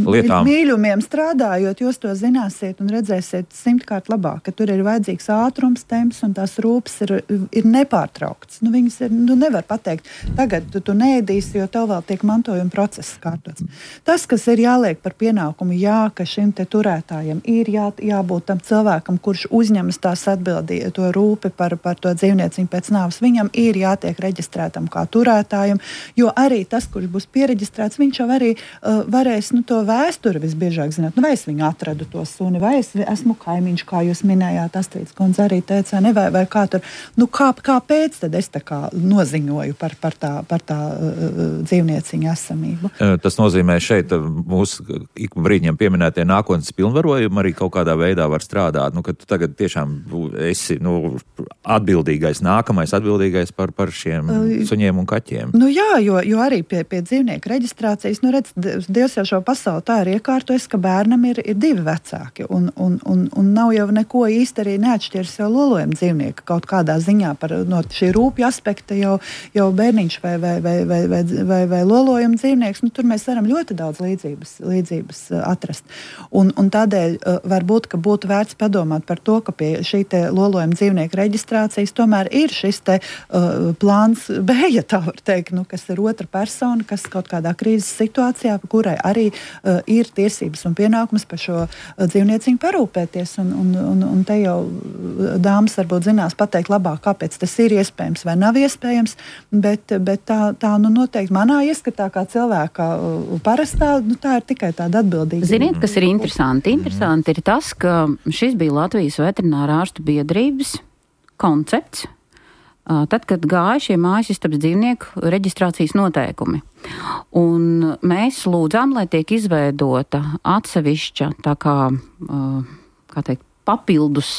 lietām. Mīļumiem strādājot, jūs to zināsiet un redzēsiet simtkārt labāk, ka tur ir vajadzīgs ātrums, temps un tās rūpes ir, ir nepārtraukts. Nu, viņas ir, nu, nevar pateikt, tagad tu, tu neēdīsi, jo tev vēl tiek mantojuma process kārtots. Tas, kas ir jāliek par pienākumu, jā, ka šim te turētājam ir jā, jābūt tam cilvēkam, kurš uzņemas tās atbildīja to rūpi par, par to dzīvnieciņu pēc nāves. Viņam ir jātiek reģistrētam kā turētājam, jo arī tas, kurš būs piereģistrēts, viņš jau arī uh, varēs nu, to vēsturi visbiežāk zināt. Nu, vai es viņu atradu to suni, vai es esmu kaimiņš, kā jūs minējāt, Astrīds kundze arī teica, ne, vai, vai kā tur. Nu, kā, kāpēc tad es tā kā noziņoju par, par tā, par tā uh, dzīvnieciņa esamību? Tas nozīmē šeit mūsu ik brīdņiem pieminētie nākotnes pilnvarojumi arī kaut kādā veidā var strādāt. Nu, ka tu tagad tiešām esi nu, atbildīgais, nākamais atbildīgais par, par šiem suņiem un kaķiem. Nu jā, jo, jo arī pie, pie dzīvnieku reģistrācijas, nu redz, Dievs jau šo pasauli tā ir iekārtojis, ka bērnam ir, ir divi vecāki, un, un, un, un nav jau neko īsti arī neatšķirs jau lolojuma dzīvnieka kaut kādā ziņā par no šī rūpja aspekta jau, jau bērniņš vai, vai, vai, vai, vai, vai, vai lolojuma dzīvnieks, nu tur mēs varam ļoti daudz līdzības, līdzības atrast. Un, un tādēļ varbūt, ka būtu vērts padomāt par to, ka pie šī te lolojuma dzīvnieka reģistrācijas tomēr ir šis te Uh, plāns B, ja tā var teikt, nu, kas ir otra persona, kas kaut kādā krīzes situācijā, kurai arī uh, ir tiesības un pienākums par šo uh, dzīvnieciņu parūpēties. Un, un, un, un te jau dāmas varbūt zinās pateikt labāk, kāpēc tas ir iespējams vai nav iespējams, bet, bet tā, tā nu, noteikti manā ieskatā kā cilvēka uh, parastā, nu, tā ir tikai tāda atbildīga. Ziniet, kas ir interesanti? Interesanti ir tas, ka šis bija Latvijas veterinārā ārstu biedrības koncepts, tad, kad gāja šie mājasistabas dzīvnieku reģistrācijas noteikumi. Un mēs lūdzām, lai tiek izveidota atsevišķa tā kā, kā teikt, papildus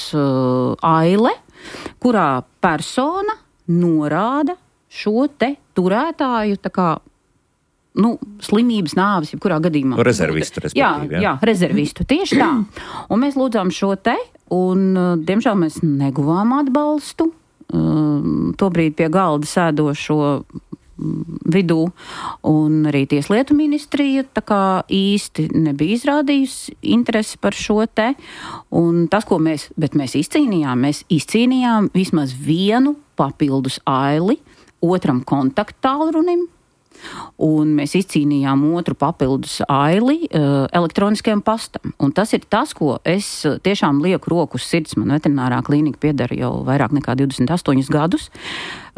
aile, kurā persona norāda šo te turētāju tā kā nu, slimības nāves, jebkurā gadījumā. Rezervistu, respektīvi. Jā, jā, rezervistu, tieši tā. Un mēs lūdzām šo te, un diemžēl mēs neguvām atbalstu. Tobrīd pie galda sēdošo vidū, un arī Tieslietu ministrija tā kā īsti nebija izrādījusi interesi par šo te, un tas, ko mēs, bet mēs izcīnījām, mēs izcīnījām vismaz vienu papildus aili otram kontakttālrunim, un mēs izcīnījām otru papildus aili uh, elektroniskajam pastam. Un tas ir tas, ko es tiešām lieku roku uz sirds. Man veterinārā klīnika piedara jau vairāk nekā divdesmit astoņus gadus.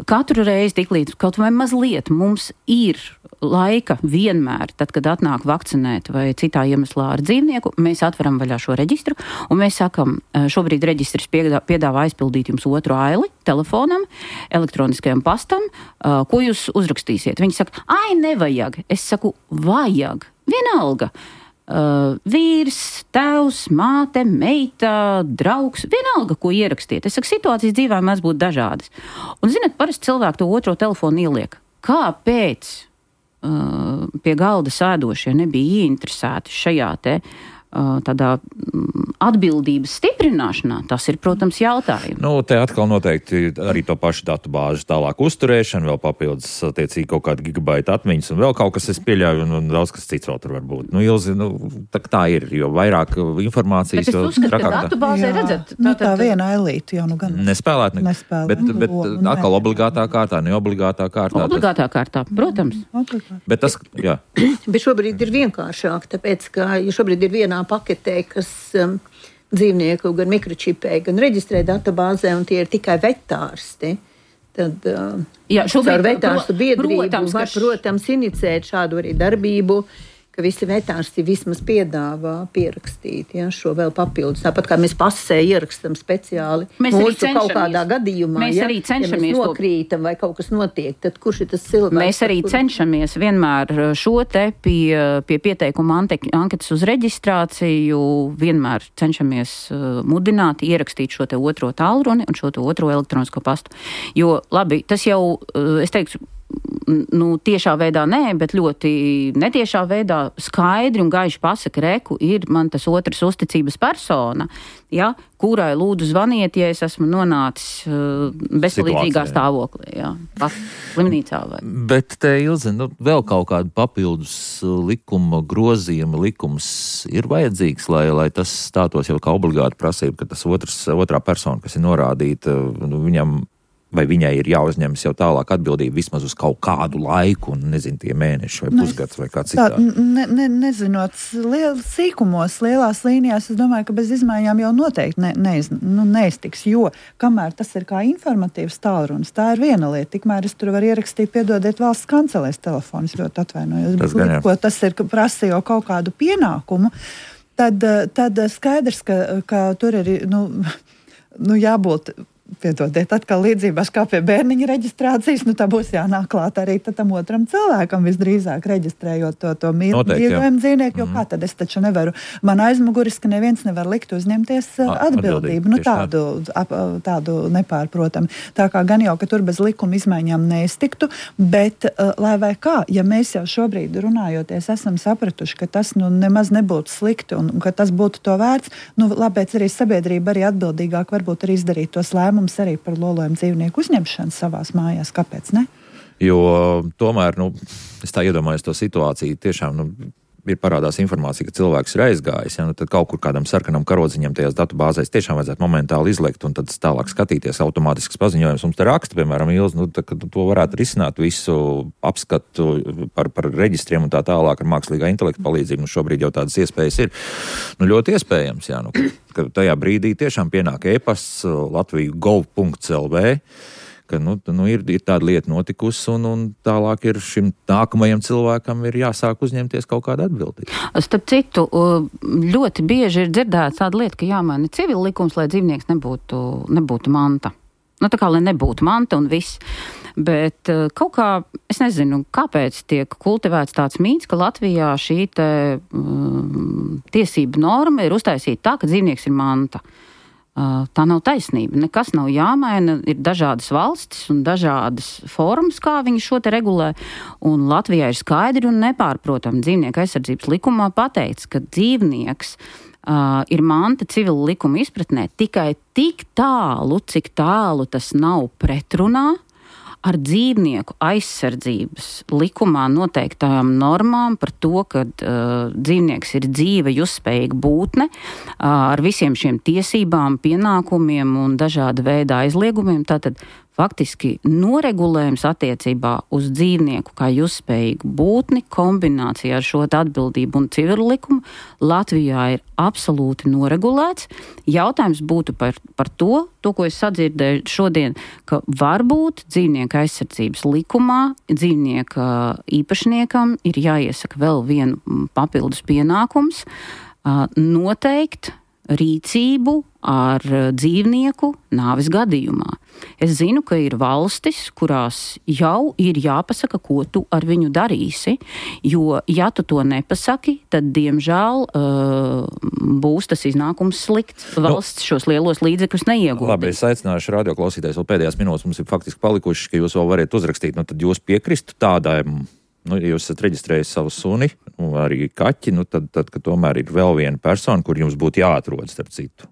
Katru reizi tik līdz kaut vai mazliet mums ir laika vienmēr, tad, kad atnāk vakcinēt vai citā iemeslā ar dzīvnieku, mēs atveram vaļā šo reģistru, un mēs sakam, šobrīd reģistrs piedāvā aizpildīt jums otru aili telefonam, elektroniskajam pastam, ko jūs uzrakstīsiet. Viņi saka, ai, nevajag. Es saku, vajag. Vienalga. Uh, vīrs, tēvs, māte, meita, draugs, vienalga, ko ierakstiet. Es saku, situācijas dzīvē mēs būtu dažādas. Un, zināt, parasti cilvēki to otro telefonu ieliek kāpēc uh, pie galda sēdošie nebija ieinteresēti šajā te uh, tādā mm, atbildības stiprināšanā, tas ir, protams, jautājums. Nu, te atkal noteikti arī to pašu datu bāžu tālāk uzturēšana, vēl papildus attiecīgi kaut kāda gigabaita atmiņas un vēl kaut kas, es pieļauju, un, un daudz kas cits vēl tur var būt. Nu, Ilzi, nu, tā, tā ir, jo vairāk informācijas... Bet es uzskatu, ka datu bāzē redzat... Tā, nu, tā viena elīte jau nu gan... Nespēlēt, ne... Nespēlēt. Bet, bet Nu, atkal obligātā kārtā, neobligātā kārtā. Obligātā kārtā, protams. Obligāti. Bet tas, jā. Bet šobrīd ir vienkāršāk, tāpēc, ka ja šobrīd ir vienā paketē, kas um, dzīvnieku gan mikročipē, gan reģistrē datubāzē, un tie ir tikai vetārsti, tad uh, Jā, šobrīd, ar vetārstu biedrību protams, var, ka š- protams, inicēt šādu arī darbību, ka visi vetārsti vismaz piedāvā pierakstīt, ja, šo vēl papildus. Tāpat kā mēs pasē ierakstam speciāli Mēs arī mūsu kaut cenšamies. kādā gadījumā, Mēs ja, arī ja cenšamies mēs to- nokrītam vai kaut kas notiek, tad kurš ir tas cilvēks? Mēs arī par kuru- cenšamies vienmēr šo te pie, pie pieteikuma ante- anketas uz reģistrāciju, vienmēr cenšamies uh, mudināt, ierakstīt šo te otro tālruni un šo te otro elektronisko pastu. Jo, labi, tas jau, uh, es teiktu, nu, tiešā veidā nē, bet ļoti netiešā veidā skaidri un gaiši pasaka, reku, ir man tas otrs uzticības persona, ja, kurai lūdzu zvaniet, ja es esmu nonācis uh, bezpalīdzīgā Situācijā. stāvoklī, jā, pat slimnīcā vai. Bet te, Ilze, nu, vēl kaut kāda papildus likuma grozījuma likums ir vajadzīgs, lai, lai tas stātos jau kā obligāta prasība, ka tas otrs, otrā persona, kas ir norādīta, nu, viņam vai viņai ir jāuzņemas jau tālāk atbildība vismaz uz kaut kādu laiku, un nezinu, tie mēneši vai pusgads vai kā Tā, citādi. ne, ne, nezinot liel, sīkumos, lielās līnijās, es domāju, ka bez izmaiņām jau noteikti ne, neiz, nu, neiztiks, jo kamēr tas ir kā informatīvs tālrunis, tā ir viena lieta, tikmēr es tur varu ierakstīt, piedodiet valsts kancelēs telefonus, ļoti atvainojos, Tas gan, jā. ko tas ir, ka prasa jau kaut kādu pienākumu, tad, tad skaidrs, ka, ka tur ir, nu, nu jābūt... Piedodiet, atkal līdzībās kā pie bērniņa reģistrācijas, nu tā būs jānāk klāt arī tam otram cilvēkam visdrīzāk reģistrējot to, to mīļojumu dzīvnieku, jo mm. kā tad es taču nevaru, man aizmuguris, ka neviens nevar likt uzņemties uh, atbildību, atbildību, nu tieši tādu, ap, tādu nepārprotami. Tā kā gan jau, ka tur bez likuma izmaiņām neiztiktu, bet uh, lai vai kā, ja mēs jau šobrīd runājoties esam sapratuši, ka tas nu nemaz nebūtu slikti un, un ka tas būtu to vērts, nu labēc arī sabiedrība arī atbildīgāk varbūt arī izdarīt tos lēmumus arī par lolojumu dzīvnieku uzņemšanu savās mājās. Kāpēc ne? Jo tomēr, nu, es tā iedomājos to situāciju, tiešām, nu, ir parādās informācija, ka cilvēks ir aizgājis, ja, nu, tad kaut kur kādam sarkanam karodziņam tajās datubāzēs tiešām vajadzētu momentāli izlikt un tad tālāk skatīties automātisks paziņojums. Mums te raksta, piemēram, Ilze, nu, tā, ka to varētu risināt visu apskatu par, par reģistriem un tā tālāk ar mākslīgā intelekta palīdzību. Nu, šobrīd jau tādas iespējas ir. Nu, ļoti iespējams, jā, nu, ka tajā brīdī tiešām pienāk e-pasts latviju gov punkts l v, ka nu, nu, ir, ir tāda lieta notikusi, un, un tālāk ir šim nākamajam cilvēkam ir jāsāk uzņemties kaut kāda atbildība. Starp citu, ļoti bieži ir dzirdēts tāda lieta, ka jāmaina civila likums, lai dzīvnieks nebūtu, nebūtu manta. Nu, tā kā, lai nebūtu manta un viss. Bet kaut kā, es nezinu, kāpēc tiek kultivēts tāds mīts, ka Latvijā šī te, um, tiesība norma ir uztaisīta tā, ka dzīvnieks ir manta. Uh, tā nav taisnība. Nekas nav jāmaina. Ir dažādas valstis un dažādas formas, kā viņi šo te regulē. Un Latvijā ir skaidri un nepārprotami dzīvnieku aizsardzības likumā pateikts, ka dzīvnieks uh, ir manta civila likuma izpratnē tikai tik tālu, cik tālu tas nav pretrunā ar dzīvnieku aizsardzības likumā noteiktām normām par to, ka uh, dzīvnieks ir dzīva, jusspējīga būtne uh, ar visiem šiem tiesībām, pienākumiem un dažāda veida aizliegumiem. Tātad faktiski noregulējums attiecībā uz dzīvnieku kā jusspējīgu būtni kombinācijā ar šo atbildību un civilu likumu Latvijā ir absolūti noregulēts. Jautājums būtu par, par to, to, ko es sadzirdēju šodien, ka varbūt dzīvnieku aizsardzības likumā dzīvnieka īpašniekam ir jāiesaka vēl vienu papildus pienākums uh, noteikt rīcību ar dzīvnieku nāves gadījumā. Es zinu, ka ir valstis, kurās jau ir jāpasaka, ko tu ar viņu darīsi, jo, ja tu to nepasaki, tad, diemžēl, būs tas iznākums slikts. Valsts nu, šos lielos līdzekļus neieguldīs. Labi, es aicināšu radioklausītājus, vēl pēdējās minūtes mums ir faktiski palikušas, ka jūs vēl variet uzrakstīt, nu tad jūs piekristu tādām, nu, ja jūs esat reģistrējis savu suni, nu, arī kaķi, nu, tad, tad, ka tomēr ir vēl viena persona, kur jums būtu jāatrod, starp citu,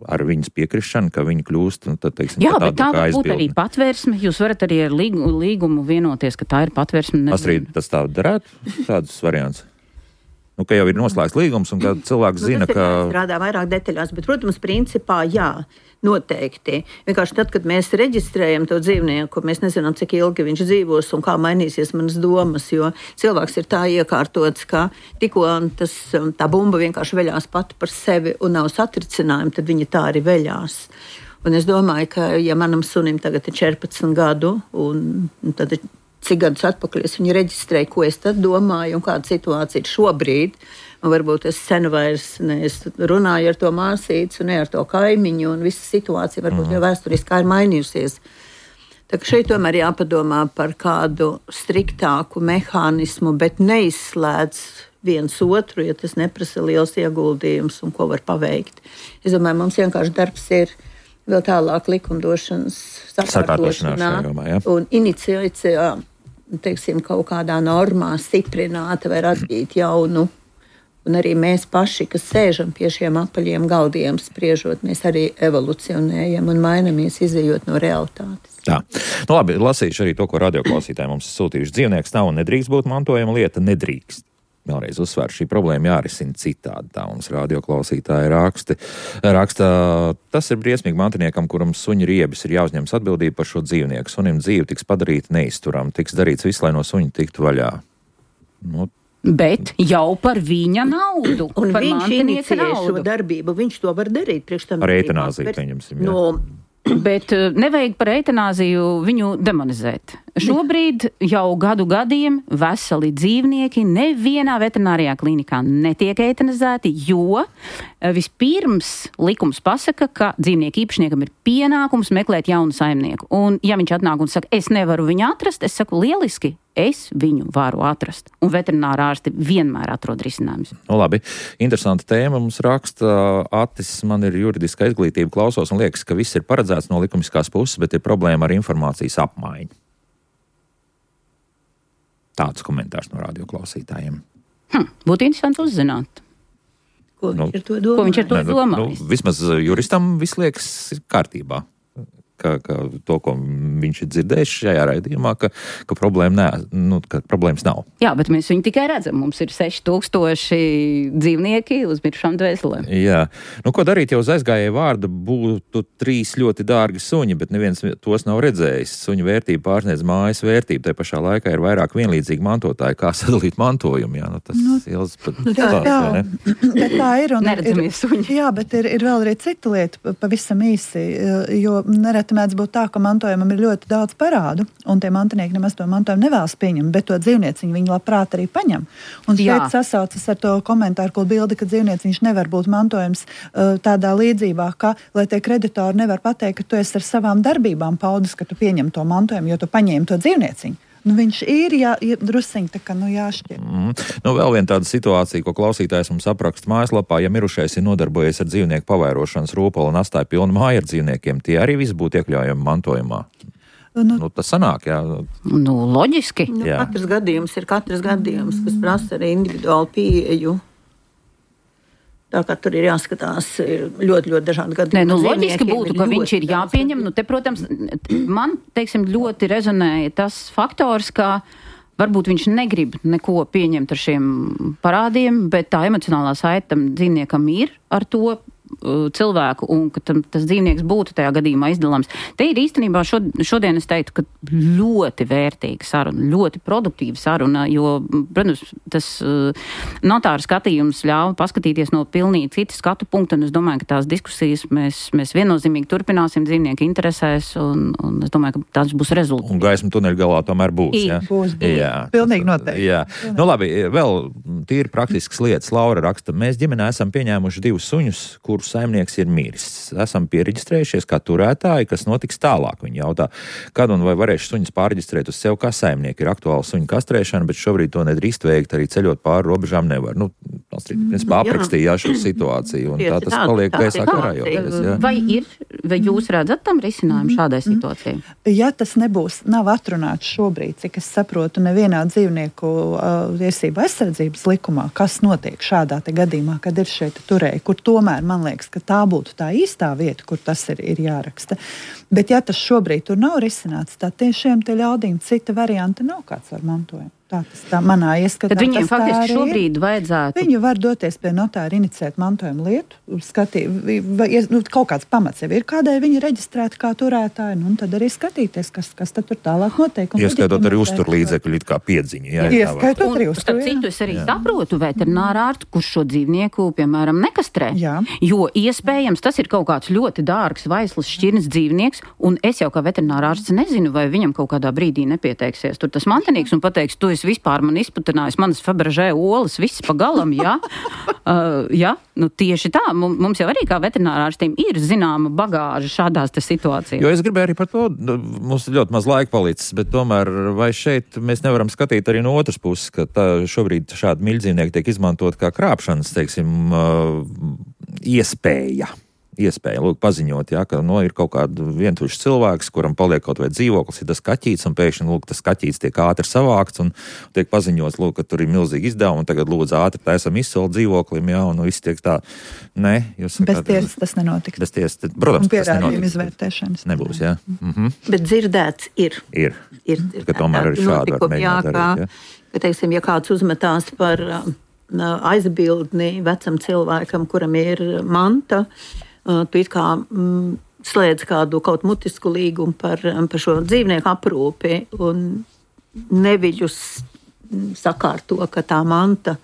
ar viņas piekrišanu, ka viņi kļūst, nu, tad, teiksim, jā, tādu bet tā var būt aizbildni. arī patvērsme. Jūs varat arī ar līgu, līgumu vienoties, ka tā ir patvērsme. Astrid, tas tā darētu, tādus variants? Nu, ka jau ir noslēgts līgums un ka cilvēks nu, zina, ka... strādā vairāk detaļās, bet, protams, principā, jā, noteikti. Vienkārši tad, kad mēs reģistrējam to dzīvnieku, mēs nezinām, cik ilgi viņš dzīvos un kā mainīsies manas domas, jo cilvēks ir tā iekārtots, ka tikko tas, tā bumba vienkārši veļās pati par sevi un nav satricinājumi, tad viņa tā arī veļās. Un es domāju, ka, ja manam sunim tagad ir četrpadsmit gadu, un, un tad cik gadus atpakaļ es viņu reģistrēju, ko es tad domāju un kāda situācija ir šobrīd. Un varbūt es sen vairs ne, es runāju ar to māsīcu, ne ar to kaimiņu, un visa situācija varbūt mm. jau vēsturiski ir mainījusies. Tā kā šeit tomēr jāpadomā par kādu striktāku mehānismu, bet neizslēdz viens otru, ja tas neprasa liels ieguldījums un ko var paveikt. Es domāju, mums vienkārši darbs ir vēl tālāk likumdošanas sakārtošanā ja? Un iniciācijā, teiksim, kaut kādā normā stiprināta vai radīt jaunu. Un arī mēs paši, kas sēžam pie šiem apaļiem galdiem spriežot, mēs arī evolucionējam un mainamies, izejot no realitātes. Tā. Nu labi, lasīšu arī to, ko radioklausītāji mums sūtījuši. Dzīvnieks nav un nedrīkst būt mantojama lieta, nedrīkst. Vēlreiz uzsver, šī problēma jārisina citādi. Tā mums radioklausītāji raksti. raksta. Tas ir briesmīgi mantiniekam, kuram suņa riebis ir jāuzņemas atbildība par šo dzīvnieku. Sunim dzīve tiks padarīta neizturam, tiks darīts viss, lai no suņa tiktu vaļā. Nu, Bet jau par viņa naudu. Un par viņš inicijē šo naudu. darbību, viņš to var darīt. Priekš tam ar eitanāziju, pieņemsim. No, Bet nevajag par eitanāziju viņu demonizēt. Šobrīd jau gadu gadiem veseli dzīvnieki nevienā veterinārijā klīnikā netiek eitanizēti, jo vispirms likums pasaka, ka dzīvnieku īpašniekam ir pienākums meklēt jaunu saimnieku. Un ja viņš atnāk un saka, es nevaru viņu atrast, es saku, lieliski, es viņu varu atrast. Un veterinārā ārsti vienmēr atrod risinājumus. Nu, labi, interesanta tēma mums raksta. Atis, man ir juridiska izglītība, klausos un liekas, ka viss ir paredzēts no likumiskās puses, bet ir problēma ar informācijas apmaiņu. Tāds komentārs no radioklausītājiem. Hm, būtu interesanti uzzināt. ko Nu, viņš ar to domā? Ko viņš ar to Nē, nu, domājis? nu, vismaz juristam viss liekas kārtībā. Ka, ka to, ko viņš ir dzirdējis šajā raidījumā, ka, ka, problēma nē, nu, ka problēmas nav. Jā, bet mēs viņu tikai redzam. Mums ir seši tūkstoši dzīvnieki uz mirušām dvēselēm. Jā. Nu, ko darīt, ja uz aizgājēju vārda būtu trīs ļoti dārgi suņi, bet neviens tos nav redzējis. Suņu vērtība pārsniedz mājas vērtību. Tā pašā laikā ir vairāk vienlīdzīgi mantotāji. Kā sadalīt mantojumu? Jā, nu, tas Nu, ilgs pat Nu, tā, stāsts, vai tā, ne? bet tā ir. Un Neredzamies ir, suņi. jā, bet ir, ir vēl arī cita lieta, pa- pavisam īsi, jo nereti mēdz būt tā, ka mantojumam ir ļoti daudz parādu, un tie mantinieki nemaz to mantojumu nevēlas pieņemt, bet to dzīvnieciņu viņi labprāt arī paņem. Un Jā. šeit sasaucas ar to komentāru, ko bildi, ka dzīvnieciņš nevar būt mantojums uh, tādā līdzībā, ka, lai tie kreditori nevar pateikt, ka tu esi ar savām darbībām paudis, ka tu pieņem to mantojumu, jo tu paņēmi to dzīvnieciņu. Nu, viņš ir jā, jā, drusiņi tā kā nu, jāšķir. Mm. Nu, vēl viena tāda situācija, ko klausītājs mums apraksta mājaslapā, ja mirušais ir nodarbojies ar dzīvnieku pavairošanas rūpalu un atstāja pilnu māju ar dzīvniekiem, tie arī visi būtu iekļaujami mantojumā. Nu, Nu, tas sanāk, jā. Nu, loģiski. Nu, Jā. katrs gadījums ir katrs gadījums, kas prasa arī individuālu pieeju. Tā kā tur ir jāskatās ir ļoti, ļoti dažādi gadījumi. Nē, nu, loģiski Dzīvniekiem būtu, ka ļoti viņš ir daudz jāpieņem. Nu, te, protams, man, teiksim, ļoti rezonēja tas faktors, ka varbūt viņš negrib neko pieņemt ar šiem parādiem, bet tā emocionālā saite tam dzīvniekam ir ar to uh, cilvēku, un ka tam, tas dzīvnieks būtu tajā gadījumā izdalāms. Te ir īstenībā šod, šodien es teiktu, ka ļoti vērtīga saruna, ļoti produktīva saruna, jo, protams, tas uh, notāra skatījums ļauj paskatīties no pilnīgi citas skatu punkta, un es domāju, ka tās diskusijas mēs, mēs viennozīmīgi turpināsim dzīvnieku interesēs, un, un es domāju, ka tas būs rezultāts. Un gaisma tuneļa galā tomēr būs, Ir. jā? Būs, būs. Jā. Pilnīgi noteikti. Jā. Nu labi, vēl tīri praktiskas lietas. Laura raksta, mēs ģimenē esam pieņēmuši divus suņus, kuru kuru saimnieks ir miris. Esam piereģistrējušies kā turētāji, kas notiks tālāk. Viņi jautā, kad un vai varēšu suņus pāreģistrēt uz sev kā saimnieku. Ir aktuāla suņu kastrēšana, bet šobrīd to nedrīkst veikt, arī ceļot pāri robežām nevar. Nu, principā aprakstīja šo situāciju, un tā tas paliek gaisā karājoties. Vai ir, vai jūs redzat tam risinājumu šādai situācijai? Ja tas nebūs, nav atrunāts šobrīd, cik es saprotu, nevienā dzīvnieku uh, tiesību aizsardzības likumā, kas notiek šādā te gadījumā, kad ir šeit turēji, kur tomēr man liekas, ka tā būtu tā īstā vieta, kur tas ir, ir jāraksta. Bet ja tas šobrīd tur nav risināts, tad tiešām te ļaudīm cita varianta nav kāds ar mantojumu. Tā tas tā manā ieskatā. Tad viņiem faktiski šobrīd ir. Vajadzētu. Viņi var doties pie notāra, inicēt mantojuma lietu, skatīt, vai, nu, kaut kāds pamats jau ir, kādēļ viņi reģistrēti kā turētāji, nu, un tad arī skatīties, kas, kas tad tur tālāk notiek. Ieskaitot arī uzturlīdzekļu, it kā piedziņu. Jā, Ieskaitot arī uztur, jā. Citu es arī jā. saprotu veterinārārstu, kurš šo dzīvnieku, piemēram, nekastrē. Jā. Jo iespējams tas ir kaut kāds ļoti dārgs, vaislas šķirnes dzīvnieks, un es jau kā veterinārārsts nezinu, vai viņam kaut kādā brīdī nepieteiksies tur tas mantenīgs un pateiks, tu es vispār man izputinājis manas Fabergé olas, viss pa galam, jā. uh, jā, nu tieši tā. Mums jau arī kā veterinārārstiem ir zināma bagāža šādās te situācijās. Jo es gribēju arī par to, mums ļoti maz laika palicis, bet tomēr vai šeit mēs nevaram skatīt arī no otras puses, ka tā, šobrīd šādi miļdzīvnieki tiek izmantot kā krāpšanas, teiksim, uh, iespēja. Iespēja, lūk, paziņot, ja, ka, nu, ir kaut kāda vientuļš cilvēks, kuram paliek kaut vai dzīvoklis, ir tas kaķīts, un pēkšņi, lūk, tas kaķīts tiek ātri savākts, un tiek paziņots, lūk, ka tur ir milzīgi izdevumi, un tagad lūdzu ātri taisam izsoli dzīvoklim, jā, un nu, viss tiek tā, nē, jūs sakāt. Bez tiesas tas nenotiks. Bez tiesas, tad, protams, un tas nenotiks. Izvērtēšanas. Nebūs, jā. Mhm. Bet dzirdēts ir. Ir. Ir, ir ka tomēr arī šādi var mēģināt darīt, jā. Ka, teiksim, ja kāds uzmetās par uh, aizbildni vecam cilvēkam, kuram ir manta, tu it kā mm, slēdz kādu kaut mutisku līgumu par, par šo dzīvnieku aprūpi un neviļus sakārto, ka tā manta,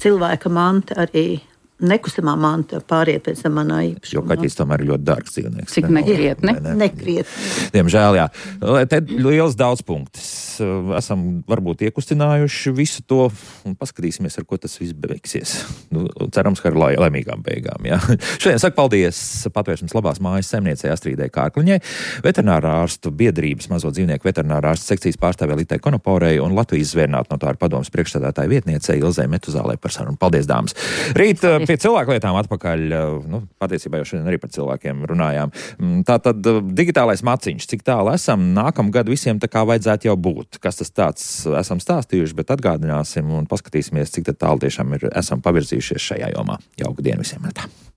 cilvēka manta arī nekustamā manta pāriet pēc tam manā īpašumā. Jo kaķis tomēr ir ļoti dārgs dzīvnieks. Cik nekrietni. Ne, ne. Nekrietni. Diemžēl, jā. Te liels daudz punktus. Esam varbūt iekustinājuši visu to un paskatīsimies, ar ko tas viss beigsies. Nu, cerams, ka ar lai, laimīgām beigām, jā. Šodien saku paldies Patvērsmes labās mājas saimniecei Astridei Kārkliņai, veterinārā ārstu biedrības mazo dzīvnieku veterinārā ārstu sekcijas pārstāvē Litai Konoporei un Latvijas zvērnātu notāru padomes priekšsēdētāja vietniecei Ilzei Metuzālei par sarunu. Paldies, dāmas! Rīt pie cilvēklietām atpakaļ, nu, patiesībā jau šodien arī par cilvēkiem runājām. Tātad digitālais maciņš, cik tālu esam, nākamgad visiem tā kā vajadzētu jau būt. Kas tas tāds esam stāstījuši, bet atgādināsim un paskatīsimies, cik tālu tiešām ir, esam pavirzījušies šajā jomā. Jauku dienu visiem! Tā.